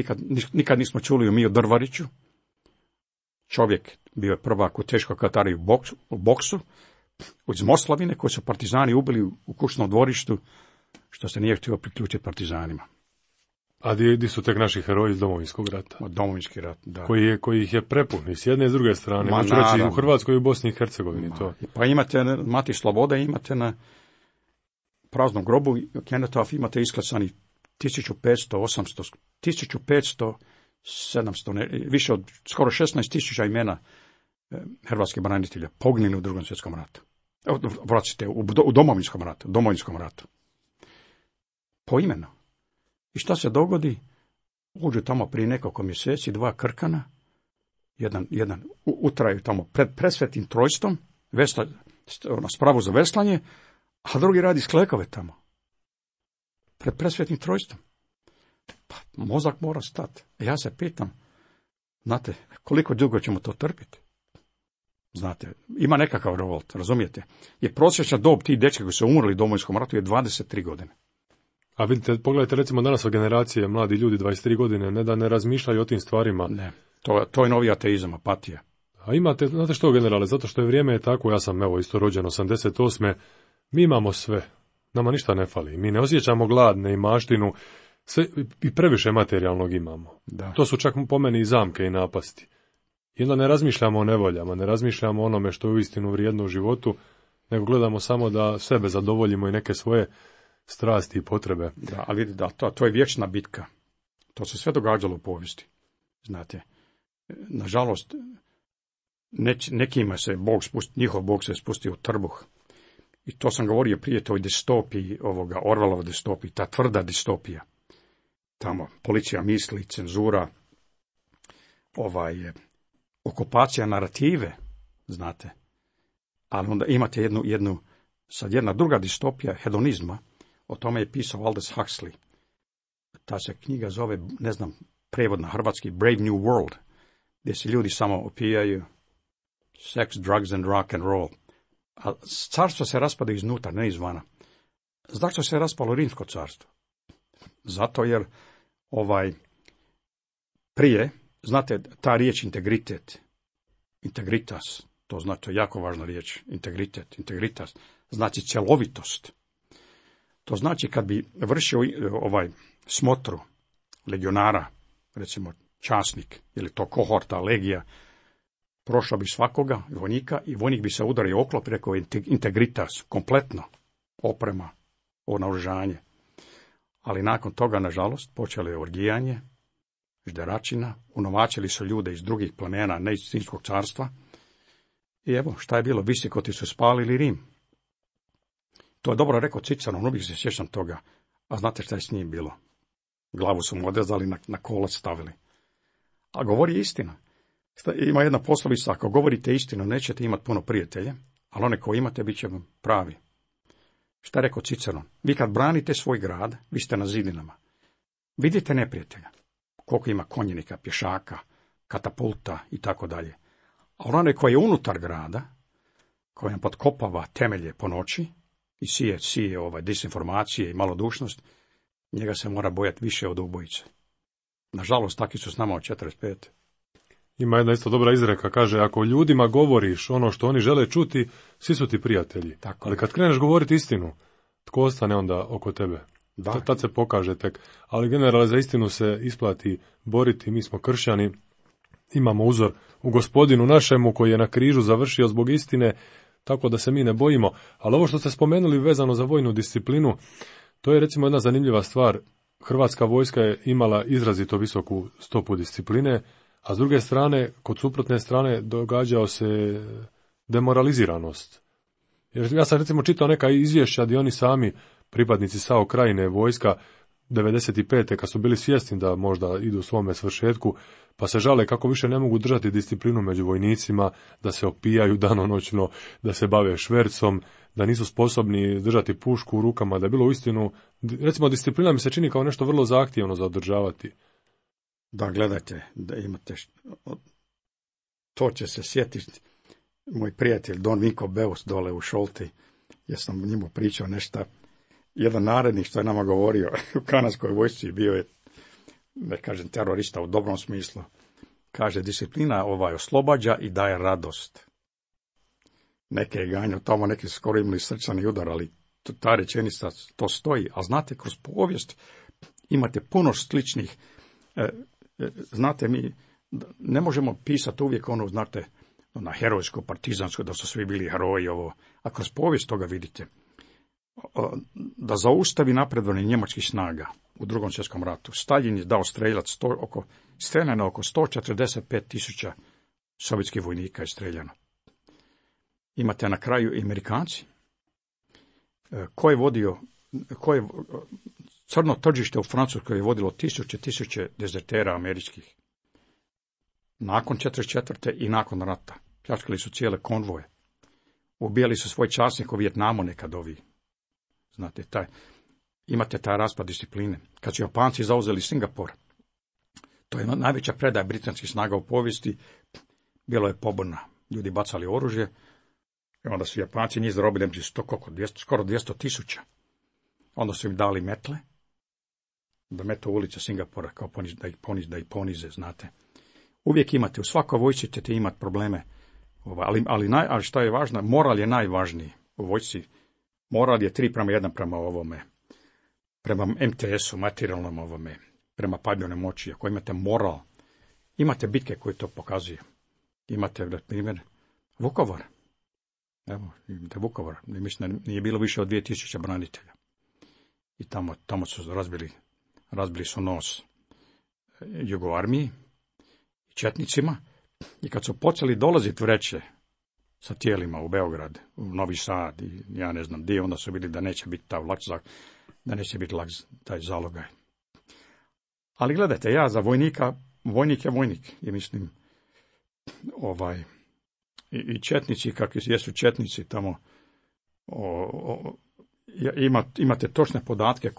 nikad nismo čuli o Drvariću. Čovjek bio je prvak u teškoj kategoriji u boksu, iz Moslavine, koji su partizani ubili u kućnom dvorištu, što se nije htio priključiti partizanima. A gdje su tek naši heroji iz Domovinskog rata? Od Domovinski rat, da. Koji ih je prepun, i s jedne i s druge strane. Možu reći u Hrvatskoj i u Bosni i Hercegovini. To. Pa imate Mati Slobode, imate na praznom grobu Kenetov, imate isklasani 1500, 700, više od skoro 16.000 imena hrvatskih branitelja poginuli u Drugom svjetskom ratu. U Domovinskom ratu. Poimeno. I šta se dogodi? Uđu tamo prije nekoliko mjeseci 2 krkana, jedan utraju tamo pred presvetim trojstvom, na spravu za veslanje, a drugi radi sklekove tamo. Pred presvetim trojstvom. Pa mozak mora stati. Ja se pitam, znate, koliko dugo ćemo to trpiti? Znate, ima nekakav revolt, razumijete? Jer prosječna dob tih dečki koji su umrli u Domovinskom ratu je 23 godine. A vidite, pogledajte recimo danas o generacije, mladi ljudi 23 godine, ne da ne razmišljaju o tim stvarima. Ne, to je novi ateizam, apatija. A imate, znate što, generale, zato što je vrijeme tako, ja sam evo isto rođen 88. Mi imamo sve, nama ništa ne fali, mi ne osjećamo glad, ne i maštinu, sve, i previše materijalnog imamo. Da. To su čak po meni i zamke i napasti. I onda ne razmišljamo o nevoljama, ne razmišljamo o onome što je uistinu vrijedno u životu, nego gledamo samo da sebe zadovoljimo i neke svoje strasti i potrebe. Da, ali da, to je vječna bitka. To se sve događalo u povijesti. Znate, nažalost, nekima se njihov Bog se spustio u trbuh. I to sam govorio prije, toj distopiji, Orwellova distopiji, ta tvrda distopija. Tamo policija misli, cenzura, okupacija narative, znate. Ali onda imate jedna druga distopija hedonizma, o tome je pisao Aldous Huxley. Ta se knjiga zove, ne znam, prevod na hrvatski, Brave New World, gdje se ljudi samo opijaju, sex, drugs and rock and roll. A carstvo se raspada iznutra, ne izvana. Zašto se raspalo Rimsko carstvo? Zato jer prije, znate, ta riječ integritet, integritas, to znači, to je jako važna riječ, integritas, znači cjelovitost. To znači kad bi vršio smotru legionara, recimo časnik, ili to kohorta, legija, prošao bi svakoga vojnika i vojnik bi se udario oklop, rekao integritas, kompletno, oprema, naoružanje. Ali nakon toga, nažalost, počelo je orgijanje, žderačina, unovačili su ljude iz drugih plemena, ne iz Rimskog carstva. I evo, šta je bilo, Visikoti su spalili Rim. To je dobro rekao Ciceron, uvijek se sjećam toga. A znate šta je s njim bilo? Glavu su mu odrezali, na kolac stavili. A govori istina. Ima jedna poslovica, ako govorite istinu, nećete imati puno prijatelja, ali one koje imate, bit će vam pravi. Šta je rekao Ciceron? Vi kad branite svoj grad, vi ste na zidinama. Vidite neprijatelja. Koliko ima konjenika, pješaka, katapulta i tako dalje. A onaj koji je unutar grada, koji nam potkopava temelje po noći i sije disinformacije i malodušnost, njega se mora bojati više od ubojice. Nažalost, taki su s nama od 45. Ima jedna isto dobra izreka, kaže, ako ljudima govoriš ono što oni žele čuti, svi su ti prijatelji. Tako. Ali kad kreneš govoriti istinu, tko ostane onda oko tebe? Da. Tad se pokaže tek. Ali generalno za istinu se isplati boriti, mi smo kršćani, imamo uzor u Gospodinu našemu koji je na križu završio zbog istine, tako da se mi ne bojimo. Ali ovo što ste spomenuli vezano za vojnu disciplinu, to je recimo jedna zanimljiva stvar. Hrvatska vojska je imala izrazito visoku stopu discipline, a s druge strane, kod suprotne strane, događao se demoraliziranost. Jer ja sam recimo čitao neka izvješća gdje oni sami, pripadnici SAO Krajine, vojska 95. kad su bili svjesni da možda idu svome svršetku, pa se žale kako više ne mogu držati disciplinu među vojnicima, da se opijaju danonoćno, da se bave švercom, da nisu sposobni držati pušku u rukama, da je bilo uistinu, recimo disciplina mi se čini kao nešto vrlo zahtjevno za održavati. Da, gledajte, da imate, to će se sjetiti moj prijatelj Don Vinko Beus dole u Šolti, jer sam njemu pričao nešto, jedan narednik što je nama govorio u kanadskoj vojsci, bio je, ne kažem terorista u dobrom smislu, kaže disciplina oslobađa i daje radost. Neke je ganjao tamo, neki su skoro imali srčani udar, ali ta rečenica to stoji, a znate, kroz povijest imate puno sličnih. Znate, mi ne možemo pisati uvijek znate, na herojsko, partizansko, da su svi bili heroji, a kroz povijest toga vidite. Da zaustavi napredovanje njemačkih snaga u Drugom svjetskom ratu, Staljin je dao streljano oko 145.000 sovjetskih vojnika je streljano. Imate na kraju i Amerikanci, crno tržište u Francuskoj je vodilo tisuće dezertera američkih. Nakon 1944. i nakon rata. Pljačkali su cijele konvoje. Ubijali su svoj časnik u Vijetnamu nekad ovi. Znate, imate taj raspad discipline. Kad su Japanci zauzeli Singapur, to je najveća predaja britanskih snaga u povijesti, bilo je pobuna. Ljudi bacali oružje, i onda su Japanci njih zarobili skoro 200.000. Onda su im dali metle, da metu ulice Singapura, kao da ih ponize, znate. Uvijek imate, u svakoj vojsci ćete imati probleme Ali što je važno, moral je najvažniji u vojsci. Moral je 3:1 prema ovome, prema MTS-u, materijalnom ovome, prema padbjenoj moći. Ako imate moral, imate bitke koje to pokazuju. Imate, na primjer, Vukovar. Evo, imate Vukovar. Mislim da nije bilo više od 2000 branitelja. I tamo su razbili su nos Jugoarmiji, četnicima. I kad su počeli dolaziti vreće sa tijelima u Beograd, u Novi Sad i ja ne znam gdje, onda su vidjeli da neće biti taj zalogaj. Ali gledajte, ja za vojnik je vojnik. I mislim, i četnici, kakvi jesu četnici tamo, imate točne podatke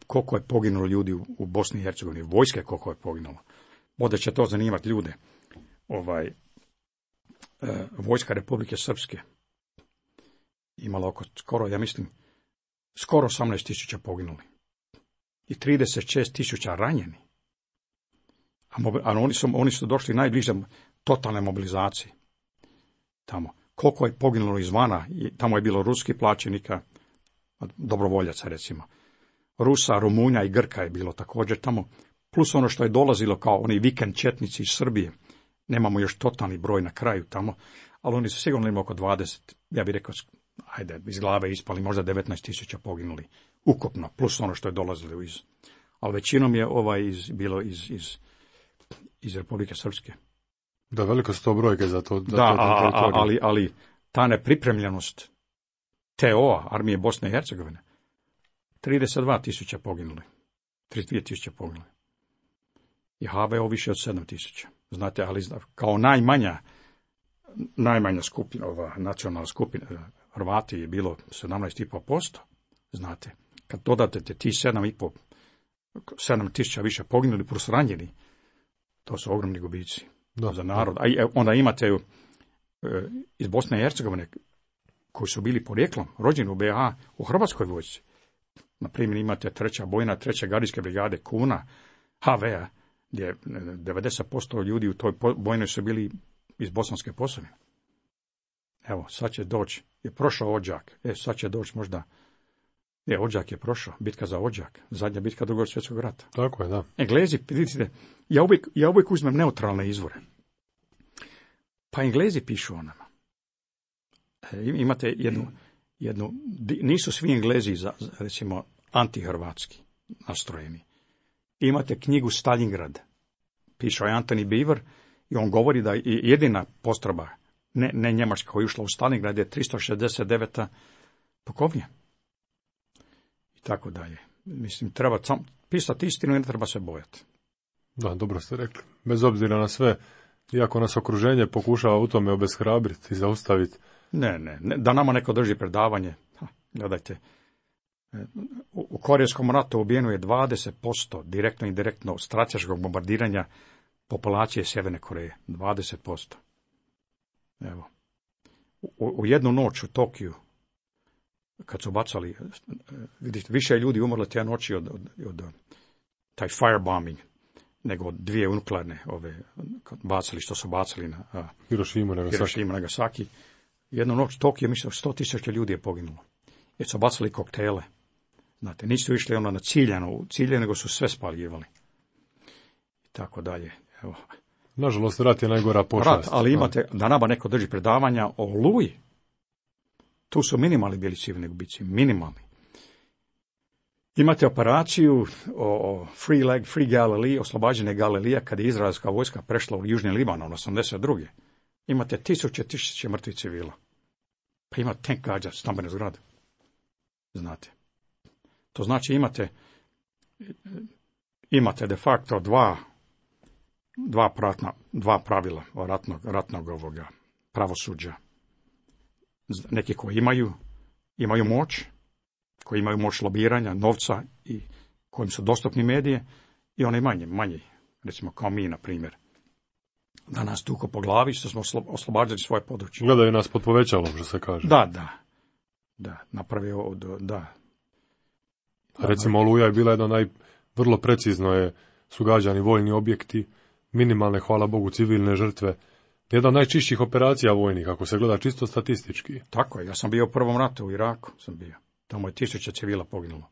koliko je poginulo ljudi u Bosni i Hercegovini, vojske koliko je poginulo. Možda će to zanimati ljude. Vojska Republike Srpske imala oko skoro 18.000 poginuli i 36.000 ranjeni. A oni su došli najbliže totalne mobilizacije. Tamo. Koliko je poginulo izvana, tamo je bilo ruskih plaćenika, dobrovoljaca recimo. Rusa, Rumunja i Grka je bilo također tamo, plus ono što je dolazilo kao oni vikend četnici iz Srbije. Nemamo još totalni broj na kraju tamo, ali oni su sigurno imali oko 20, ja bih rekao, iz glave ispali, možda 19.000 poginuli ukupno, plus ono što je dolazilo ali većinom je bilo iz Republike Srpske. Da, velike su to brojke za to. Ali ta nepripremljenost TO-a, armije Bosne i Hercegovine, 32.000 poginuli, 32.000 poginuli. I HVO više od 7.000. Znate, ali kao najmanja skupina, nacionalna skupina, Hrvati je bilo 17,5%. Znate, kad dodate ti 7.000 više poginuli plus ranjeni, to su ogromni gubici za narod. A onda imate iz Bosne i Hercegovine koji su bili porijeklom, rođeni u BiH, u Hrvatskoj vojsci. Na primjer imate 3. bojna, 3. gardijske brigade Kuna, HV-a, gdje 90% ljudi u toj bojnoj su bili iz Bosanske Posavine. Evo, sad će doći, je prošao Odžak, sad će doći možda, Odžak je prošao, bitka za Odžak, zadnja bitka Drugog svjetskog rata. Tako je, da. Englezi, vidite, ja uvijek uzmem neutralne izvore. Pa Englezi pišu o nama. Imate jednu, nisu svi Englezi, recimo, antihrvatski nastrojeni. Imate knjigu Stalingrad, pišao je Antony Beaver i on govori da je jedina postrojba, ne Njemačka koja je ušla u Stalingrad je 369. pukovnija. I tako dalje. Mislim, treba pisati istinu i ne treba se bojati. Da, dobro ste rekli. Bez obzira na sve, iako nas okruženje pokušava u tome obeshrabriti i zaustaviti. Ne, da nama neko drži predavanje. Gledajte, u Korejskom ratu ubijeno je 20% direktno i indirektno strateškog bombardiranja populacije Sjeverne Koreje. 20%. Evo. U jednu noć u Tokiju, kad su bacali, vidite, više ljudi umrlo te noći od taj firebombing, nego od 2 nuklearne bacili, što su bacili na Hirošimu, Nagasaki. Jednu noć u Tokiju, mislim, 100.000 ljudi je poginulo. Jer su bacali koktele. Znate, nisu išli na ciljano, nego su sve spaljivali. I tako dalje. Evo. Nažalost, rat je najgora pošast. Rat, ali imate, da nama neko drži predavanja o Oluji. Tu su minimalni bili civilni gubici, minimalni. Imate operaciju o Free Galilee, oslobađanje Galilija, kad je izraelska vojska prešla u Južni Libanon, 82. Imate tisuće mrtvih civila. Pa ima tank gađa stambene zgrade. Znate. To znači imate de facto dva pravila ratnog pravosuđa. Neki koji imaju moć, koji imaju moć lobiranja, novca i kojim su dostupni medije, i oni manji, recimo kao mi, na primjer. Da nas tuko po glavi što smo oslobađali svoje područje. Gledaju nas pod povećalom, što se kaže. Da, napravio, da. Recimo, Oluja je bila jedna vrlo precizno su gađani vojni objekti, minimalne, hvala Bogu, civilne žrtve. Jedna od najčišćih operacija vojnih, ako se gleda čisto statistički. Tako je, ja sam bio u prvom ratu u Iraku, tamo je 1000 civila poginulo.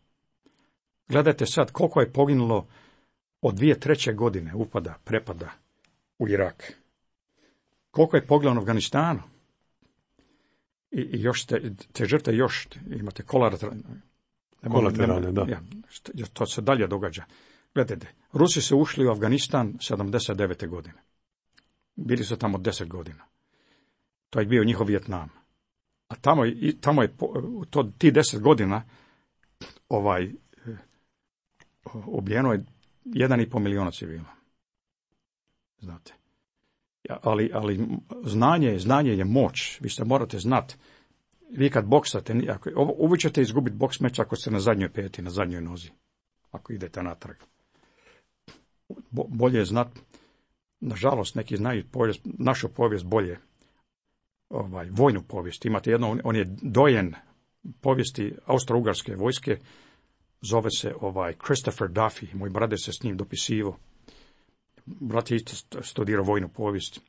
Gledajte sad koliko je poginulo od 2003. godine prepada u Irak. Koliko je poginulo u Afganistanu. I još te žrtve još, imate kolateralne, da. Ja, to se dalje događa. Gledajte, Rusi su ušli u Afganistan 79. godine. Bili su tamo 10 godina. To je bio njihov Vijetnam. A tamo je ti 10 godina ubijeno je 1,5 miliona civila. Znate. Ali znanje je moć. Vi se morate znati. Vi kad boksate, uvijek ćete izgubiti boks meč ako ste na zadnjoj peti, na zadnjoj nozi. Ako idete natrag. Bolje je znati. Nažalost, neki znaju našu povijest bolje. Vojnu povijest. Imate on je dojen povijesti Austro-Ugarske vojske. Zove se Christopher Duffy. Moj brate se s njim dopisivao. Brat je isto studirao vojnu povijest.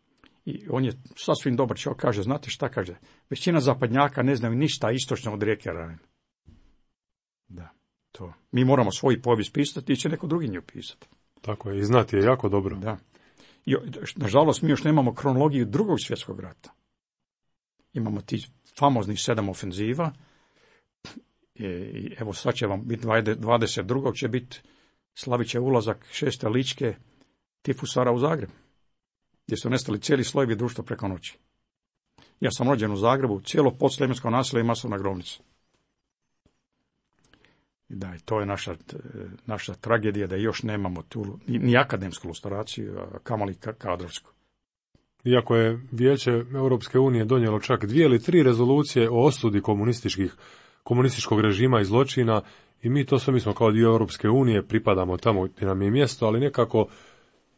I on je sasvim dobar čovjek. Kaže, znate šta kaže? Većina zapadnjaka ne znaju ništa istočno od rijeke Rajne. Da, to. Mi moramo svoju povijest pisati i će neko drugi nju pisati. Tako je, i znati je jako dobro. Da. I, nažalost, mi još nemamo kronologiju Drugog svjetskog rata. Imamo ti famoznih 7 ofenziva. I evo sad će vam biti 22. će biti, slavit će ulazak 6. ličke tifusara u Zagreb, gdje su nestali cijeli slojevi društva preko noći. Ja sam rođen u Zagrebu, cijelo podsljemensko naselje i masovna grobnica. I da, to je naša tragedija da još nemamo tu ni akademsku lustraciju, a kamoli kadrovsku. Iako je Vijeće Europske unije donijelo čak 2 ili 3 rezolucije o osudi komunističkog režima i zločina, i mi smo kao dio Europske unije, pripadamo tamo gdje nam je mjesto, ali nekako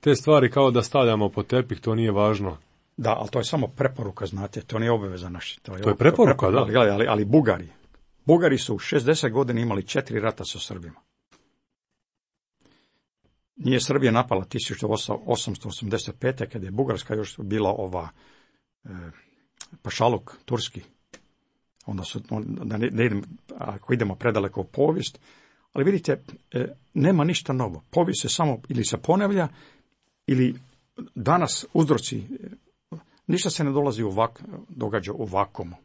te stvari kao da stavljamo pod tepih, to nije važno. Da, ali to je samo preporuka, znate, to nije obaveza naša. To je preporuka, da. Ali Bugari su 60 godina imali 4 rata sa Srbima. Nije Srbija napala 1885. kad je Bugarska još bila pašaluk turski. Onda ne idem, ako idemo predaleko u povijest, ali vidite, nema ništa novo. Povijest se samo ili se ponavlja, ili danas uzroci, ništa se ne događa u vakuumu.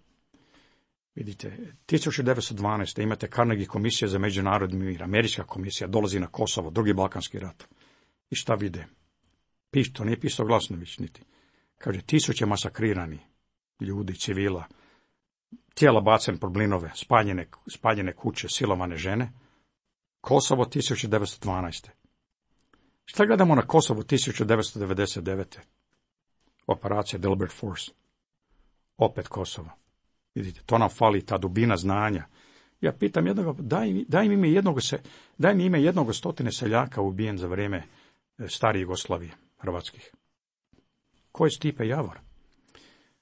Vidite, 1912. imate Carnegie komisija za međunarodni mir, američka komisija dolazi na Kosovo, drugi Balkanski rat. I šta vide? To nije pisao Glasnović niti. Kaže, 1000 masakrirani ljudi, civila, tijela bacen pod blinove, spaljene kuće, silovane žene. Kosovo 1912. Šta gledamo na Kosovu 1999. Operacija Delbert Force. Opet Kosovo. Vidite, to nam fali, ta dubina znanja. Ja pitam jednog, daj mi ime jednog 100 seljaka ubijen za vrijeme stare Jugoslavije, hrvatskih. Ko je Stipe Javor?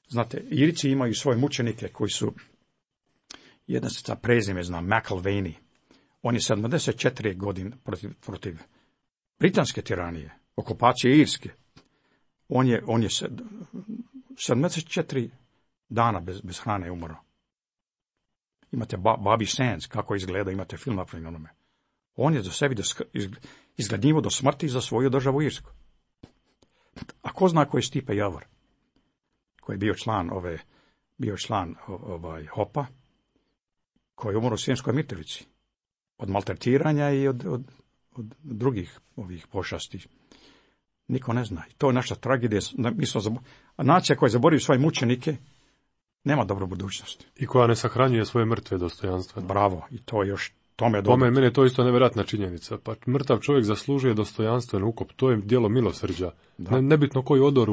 Znate, Irici imaju svoje mučenike koji su, jedna se prezime zna, McIlvaney. On je 74 godine protiv britanske tiranije, okupacije Irske. On je 74 dana bez hrane umro. Imate Bobby Sands, kako izgleda, imate film napravljen onome. On je za sebi izgladnjivo do smrti za svoju državu Irsku. A ko zna ko je Stipe Javor? Koji je bio član HOP-a, koji je umro u Sremskoj Mitrovici. Od maltretiranja i od drugih ovih pošasti. Niko ne zna. I to je naša tragedija. A nacija koja zaboravio svoje mučenike nema dobru budućnost. I koja ne sahranjuje svoje mrtve dostojanstveno. Bravo. I to je još tome dobro. Mene je to isto nevjerojatna činjenica. Pa mrtav čovjek zaslužuje dostojanstven ukop. To je djelo milosrđa. Nebitno koji odor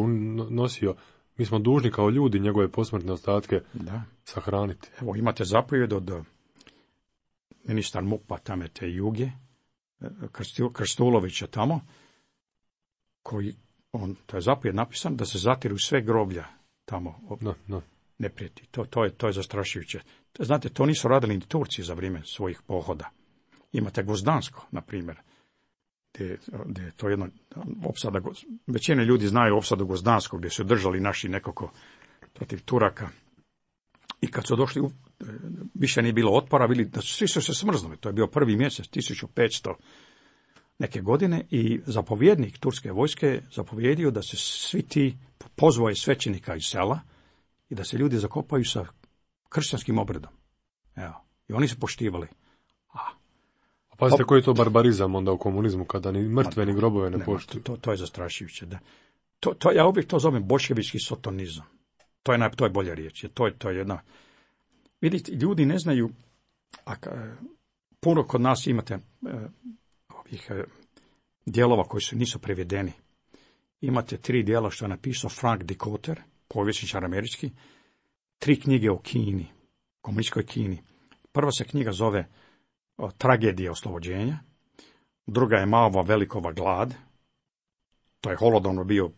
nosio. Mi smo dužni kao ljudi njegove posmrtne ostatke sahraniti. Evo, imate zapovjed od ministar MUP-a tamo te Juge, Krstulovića tamo, to je zapovjed napisan da se zatiru sve groblja tamo. Ne prijeti. To je zastrašujuće. Znate, to nisu radili ni Turci za vrijeme svojih pohoda. Imate Gvozdansko, na primjer. gdje je to jedno opsada, većina ljudi znaju opsadu Gvozdanskog, gdje su držali naši nekako protiv Turaka. I kad su došli, više nije bilo otpora, svi su se smrznuli. To je bio prvi mjesec, 1500 neke godine, i zapovjednik turske vojske zapovjedio da se svi ti pozvoje svećenika iz sela i da se ljudi zakopaju sa kršćanskim obredom. Evo. I oni su poštivali. Pazite koji je to barbarizam onda u komunizmu, kada ni mrtve ni grobove ne poštuju. To je zastrašujuće. Da. Ja uvijek to zovem boljševički sotonizam. To je bolja riječ. To je jedna... Vidite, ljudi ne znaju, puno kod nas imate ovih dijelova koji nisu prevedeni. Imate 3 dijela što je napisao Frank Dikötter, povjesničar američki, 3 knjige o Kini, komunističkoj Kini. Prva se knjiga zove Tragedija oslobođenja, druga je Maova velikova glad, to je Holodomor bio,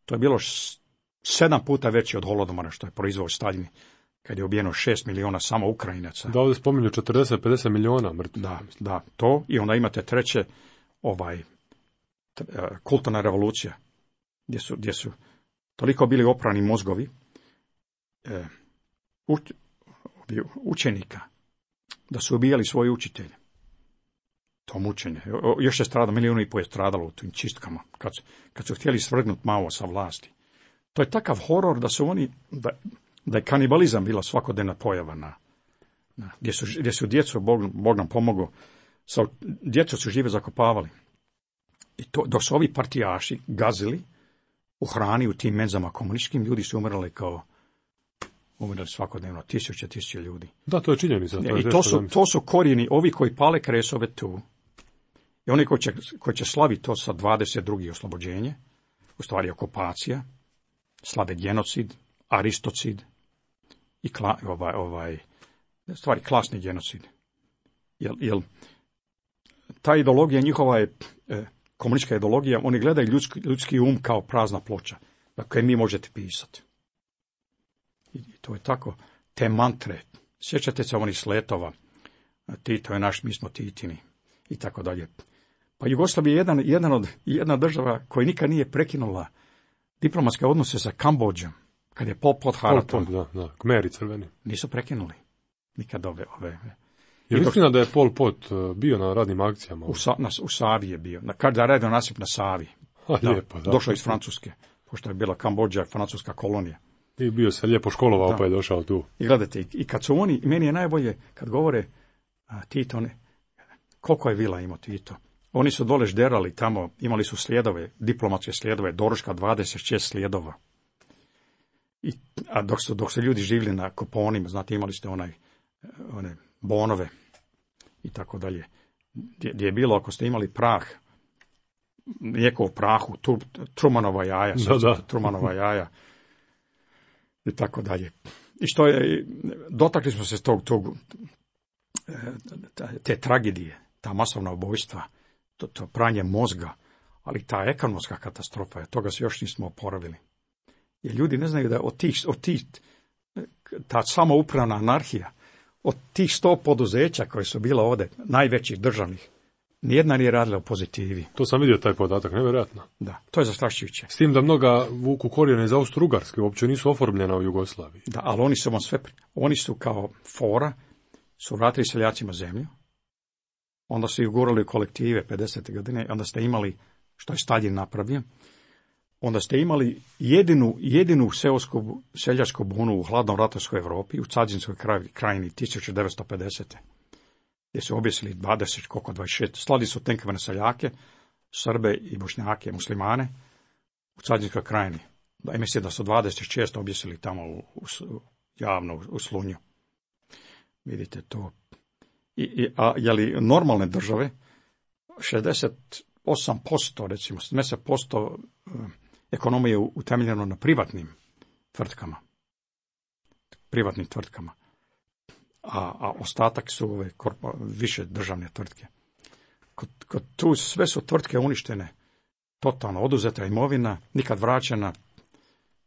to je bilo 7 puta veći od Holodomora što je proizveo Staljin, kad je ubijeno 6 miliona samo Ukrajinaca. Da, ovdje spominju 40-50 miliona mrtvih. Da, to, i onda imate treće, kulturna revolucija, gdje su toliko bili oprani mozgovi učenika, da su ubijali svoje učitelje. To mučenje. Još je stradalo, 1,5 milijuna je stradalo u tim čistkama, kad su htjeli svrgnuti Mao sa vlasti. To je takav horor da su oni, da je kanibalizam bila svakodnevna pojava gdje su djecu, Bog nam pomogao, djecu su žive zakopavali. I to, dok su ovi partijaši gazili u hrani, u tim menzama komunističkim, ljudi su umirali svakodnevno, tisuće ljudi. Da, to je činjenica. I to su korijeni, ovi koji pale kresove tu, i oni koji će slaviti to sa 22. oslobođenje, u stvari okupacija, slave genocid, aristocid i stvari klasni genocid. Jel ta ideologija njihova je komunistička ideologija, oni gledaju ljudski um kao prazna ploča, dakle mi možete pisati. I to je tako, te mantre, sjećate se onih sletova, Tito je naš, mi smo Titini, i tako dalje. Pa Jugoslavija je jedna država koja nikad nije prekinula diplomatske odnose sa Kambodžom, kad je Pol Pot haratom. Da, Kmeri crveni. Nisu prekinuli nikad ove. Je li istina da je Pol Pot bio na radnim akcijama? U Savi je bio, kada je radio nasip na Savi. Lijepo, da. Došao iz Francuske, pošto je bila Kambodža francuska kolonija. I bio se lijepo školovao, pa je došao tu. I gledajte, i kad su oni, meni je najbolje kad govore Tito, koliko je vila imao Tito. Oni su dole žderali tamo, imali su slijedove, diplomatske slijedove, doručka 26 slijedova. A dok su ljudi živjeli na kuponima, znate, imali ste one bonove i tako dalje. Gdje je bilo, ako ste imali prah, mlijeko u prahu, Trumanova jaja, Trumanova jaja i tako dalje. I što je, dotakli smo se te tragedije, ta masovna ubojstva, to pranje mozga, ali ta ekonomska katastrofa, toga se još nismo oporavili. Jer ljudi ne znaju da od tih ta samoupravna anarhija, od tih 100 poduzeća koje su bila ovdje, najvećih državnih, nijedna nije radila u pozitivi. To sam vidio taj podatak, nevjerojatno. Da, to je zastrašujuće. S tim da mnoga vuku korijene iz Austro-Ugarske, uopće nisu oformljena u Jugoslaviji. Da, ali oni su kao fora, su vratili seljacima zemlju, onda su ih gurali u kolektive 50. godine, onda ste imali, što je Staljin napravio, onda ste imali jedinu seljačku bunu u hladnom ratovskoj Europi, u Cazinskoj krajini 1950. gdje su objesili 26, slali su tenkove na seljake, Srbe i Bošnjake, muslimane, u Cazinskoj krajini. Da, mislim da su 26 objesili tamo javno u Slunju. Vidite to. Je li normalne države, 68%, recimo, 70% ekonomije je utemeljeno na privatnim tvrtkama. A ostatak su ove više državne tvrtke. Kod tu sve su tvrtke uništene, totalno oduzeta imovina, nikad vraćena.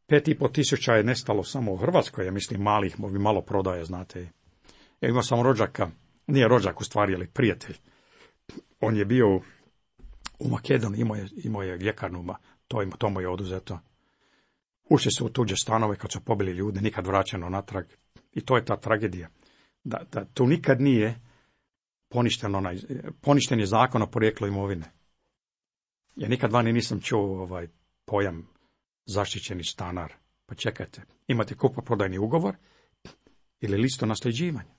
5.500 je nestalo samo u Hrvatskoj, ja mislim malih, malo prodaje, znate. Ja imao sam rođaka, nije rođak u stvari, ali prijatelj. On je bio U Makedoniji imao je ljekarnu, to mu je oduzeto. Ušli su u tuđe stanove kad su pobili ljude, nikad vraćeno natrag. I to je ta tragedija. Da tu nikad nije poništen je zakon o porijeklu imovine. Ja nikad vani nisam čuo pojam zaštićeni stanar. Pa čekajte, imate kupoprodajni ugovor ili listu nasljeđivanja.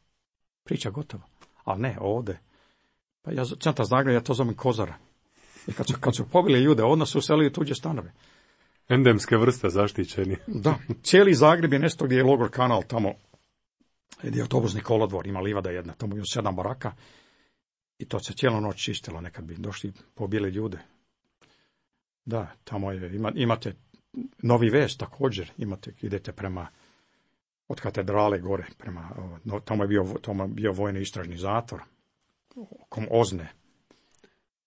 Priča gotova. Ali ne, ovdje. Pa ja centar Zagreba, ja to zovem kozara. I kad su pobili ljude, odmah su uselili u tuđe stanove. Endemske vrste zaštićeni. Da, cijeli Zagreb je nešto gdje je logor Kanal, tamo gdje je autobusni kolodvor, ima livada jedna, tamo je 7 baraka i to se cijelu noć čistilo, nekad bi došli pobili ljude. Da, tamo imate Novi Ves također, idete prema od katedrale gore, tamo je bio vojni istražni zatvor, Ozne.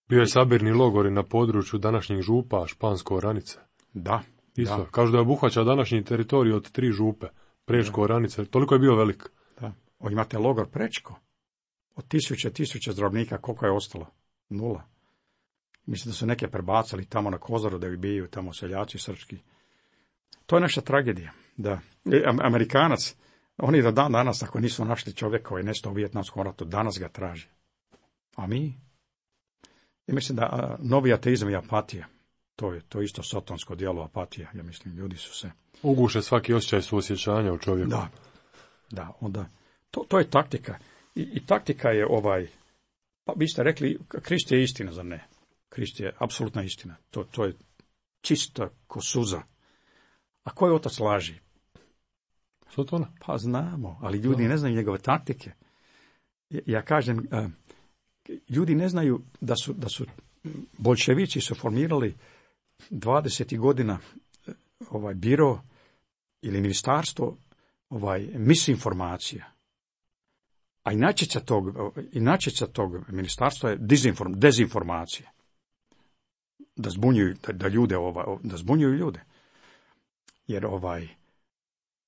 Bio je sabirni logor na području današnjih župa, Špansko-Oranice. Da. Isto, da. kažu da je obuhvaća današnji teritorij od 3 župe, Prečko-Oranice, toliko je bio velik. Da. Imate logor Prečko, od tisuće zdravnika, koliko je ostalo? 0. Mislim da su neke prebacali tamo na Kozaru da ubijaju tamo seljaci srpski. To je naša tragedija. Da. Amerikanac, oni do dan danas, ako nisu našli čovjeka koji je nestao u Vijetnamskom ratu, danas ga traže. A mi? Ja mislim da novi ateizam je apatija. To je isto satansko djelo, apatija. Ja mislim, ljudi su se... Uguše svaki osjećaj suosjećanja u čovjeku. Da, onda... To je taktika. I taktika je pa vi ste rekli, Krist je istina, zar ne? Krist je apsolutna istina. To je čista ko suza. A ko je otac laži? Sotona? Pa znamo, ali ljudi ne znaju njegove taktike. Ja kažem, ljudi ne znaju da su boljševici su formirali 20. godina biro ili ministarstvo misinformacija. A inačica tog ministarstva je dezinformacija. Da zbunjuju ljude. Jer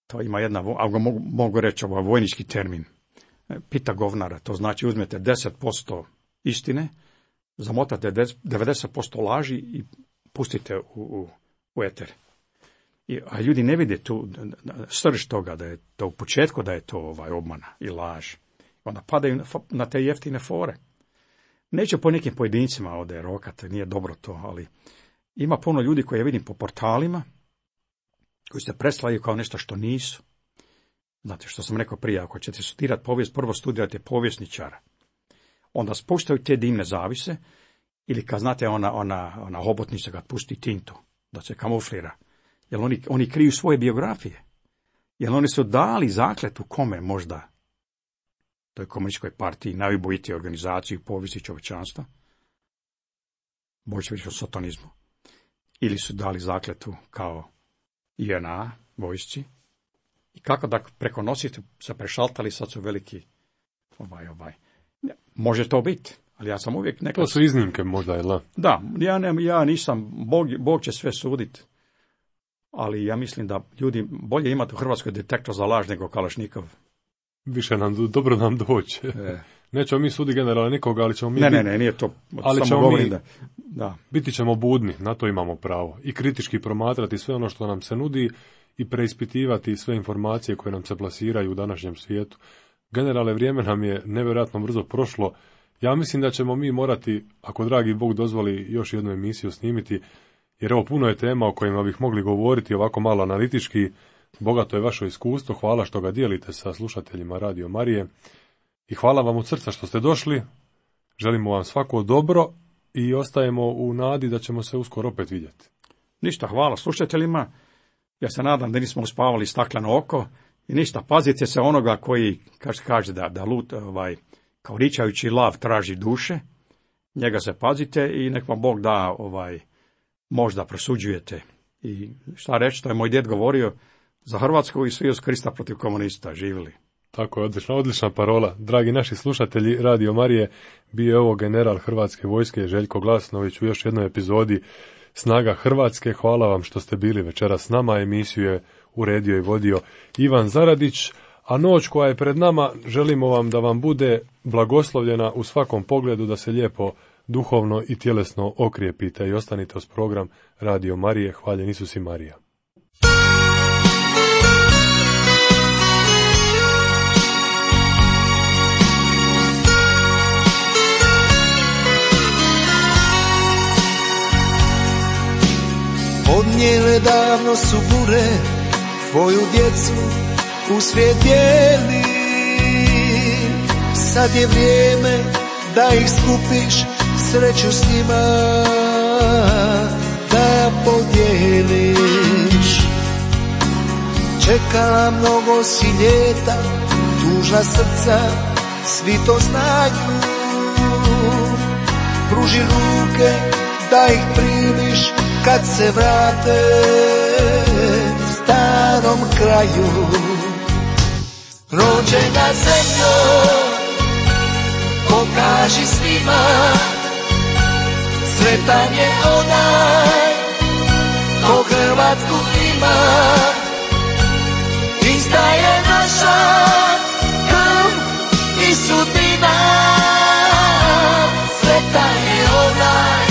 to ima jedna, mogu reći vojnički termin, pita govnara, to znači uzmete 10% istine, zamotate 90% laži i pustite u eter. A ljudi ne vide tu srž toga, da je to u početku da je to obmana i laž. Onda padaju na te jeftine fore. Neću po nekim pojedincima ovdje rokati, nije dobro to, ali ima puno ljudi koje vidim po portalima, koji se predstavljaju kao nešto što nisu. Znate što sam rekao prije, ako ćete studirati povijest, prvo studirate povjesničara. Onda spuštaju te dimne zavise, ili kad znate ona hobotnica kad pusti tintu, da se kamuflira. Jer oni kriju svoje biografije. Jer oni su dali zakletu kome možda, toj komunističkoj partiji, najubojitije organizaciji u povijesti čovječanstva, boljševičkom satanizmu. Ili su dali zakletu kao JNA, vojsci. I kako da preko nosite se prešaltali, sad su veliki Može to biti, ali ja sam uvijek nekad... To su iznimke možda, je la? Da, ja nisam, Bog će sve suditi. Ali ja mislim da ljudi bolje imati u Hrvatskoj detektor za laž nego Kalašnikov. Više dobro nam doći. Nećemo mi sudi generala nikoga, ali ćemo mi... Ne, nije to. Ali samo govorim da. Biti ćemo budni, na to imamo pravo. I kritički promatrati sve ono što nam se nudi i preispitivati sve informacije koje nam se plasiraju u današnjem svijetu. Generale, vrijeme nam je nevjerojatno brzo prošlo. Ja mislim da ćemo mi morati, ako dragi Bog dozvoli, još jednu emisiju snimiti, jer ovo puno je tema o kojima bih mogli govoriti ovako malo analitički. Bogato je vaše iskustvo, hvala što ga dijelite sa slušateljima Radio Marije i hvala vam od srca što ste došli. Želimo vam svako dobro i ostajemo u nadi da ćemo se uskoro opet vidjeti. Ništa, hvala slušateljima. Ja se nadam da nismo uspavali stakleno oko i ništa, pazite se onoga koji kaže da lut, kao ričajući lav traži duše. Njega se pazite i nek vam Bog da možda prosuđujete. I šta reći, to je moj djed govorio, za Hrvatsku i svi uz Krista protiv komunista živjeli. Tako je, odlična parola. Dragi naši slušatelji Radio Marije, bio je ovo general Hrvatske vojske Željko Glasnović u još jednoj epizodi Snaga Hrvatske. Hvala vam što ste bili večeras s nama. Emisiju je uredio i vodio Ivan Zaradić, a noć koja je pred nama želimo vam da vam bude blagoslovljena u svakom pogledu, da se lijepo duhovno i tjelesno okrijepite i ostanite uz program Radio Marije. Hvaljen Isus i Marija. Odnijele davno su bure, tvoju djecu u svijet bijeli. Sad je vrijeme da ih skupiš, sreću s njima da podijeliš. Čekala mnogo si ljeta, tužna srca, svi to znaju. Pruži ruke da ih primiš kad se vrate starom kraju. Rođena zemljo, pokaži svima, sretan je onaj ko Hrvatsku ima. Ista je naša krv i sudbina, sretan je onaj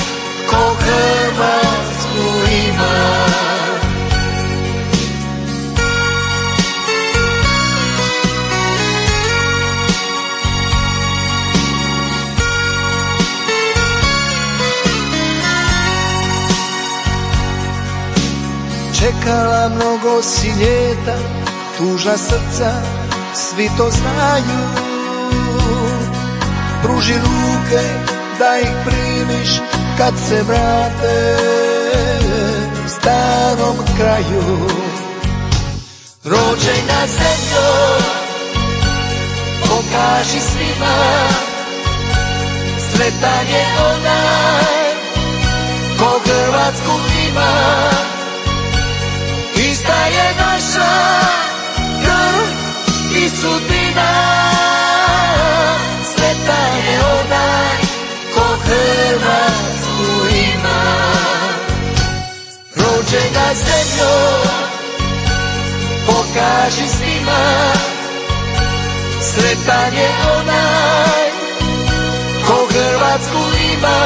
ko Hrvatsku ima. Čekala mnogo si ljeta, tužna srca, svi to znaju. Pruži ruke da ih primiš kad se vrate starom kraju. Rođena zemljo, pokaži svima, sretan je onaj ko Hrvatsku ima. Ista je naša krv i sudbina, sretan je onaj ko Hrvatsku ima. Rođena zemljo, pokaži svima, sretan je onaj ko Hrvatsku ima.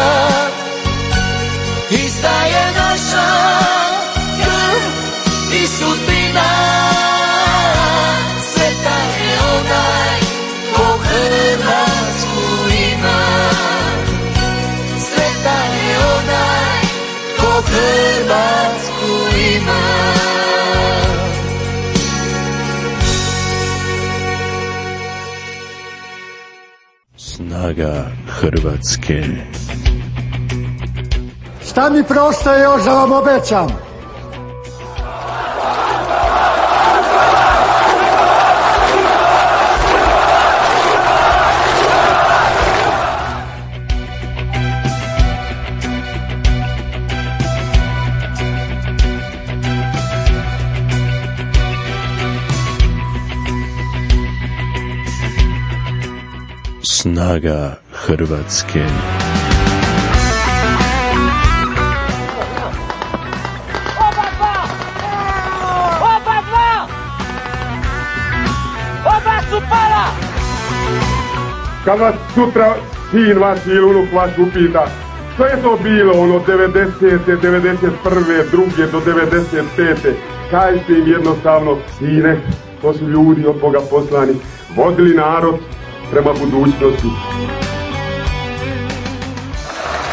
Ista je naša krv i sudbina, sretan je onaj ko Hrvatsku ima. Sretan je onaj ko Hrvatsku ima. Snaga Hrvatske. Šta mi preostaje još da vam obećam? Snaga Hrvatske. Kad vas sutra sin vaš ili unuk vaš upita što je to bilo ono 90. 91. druge do 95. Kažite im jednostavno, sine, to su ljudi od Boga poslani, vodili narod prema budućnosti.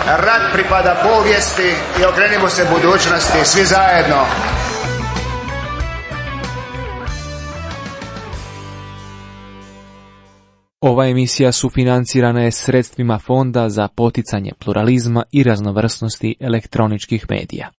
Rat pripada povijesti i okrenimo se budućnosti svi zajedno. Ova emisija sufinancirana je sredstvima Fonda za poticanje pluralizma i raznovrsnosti elektroničkih medija.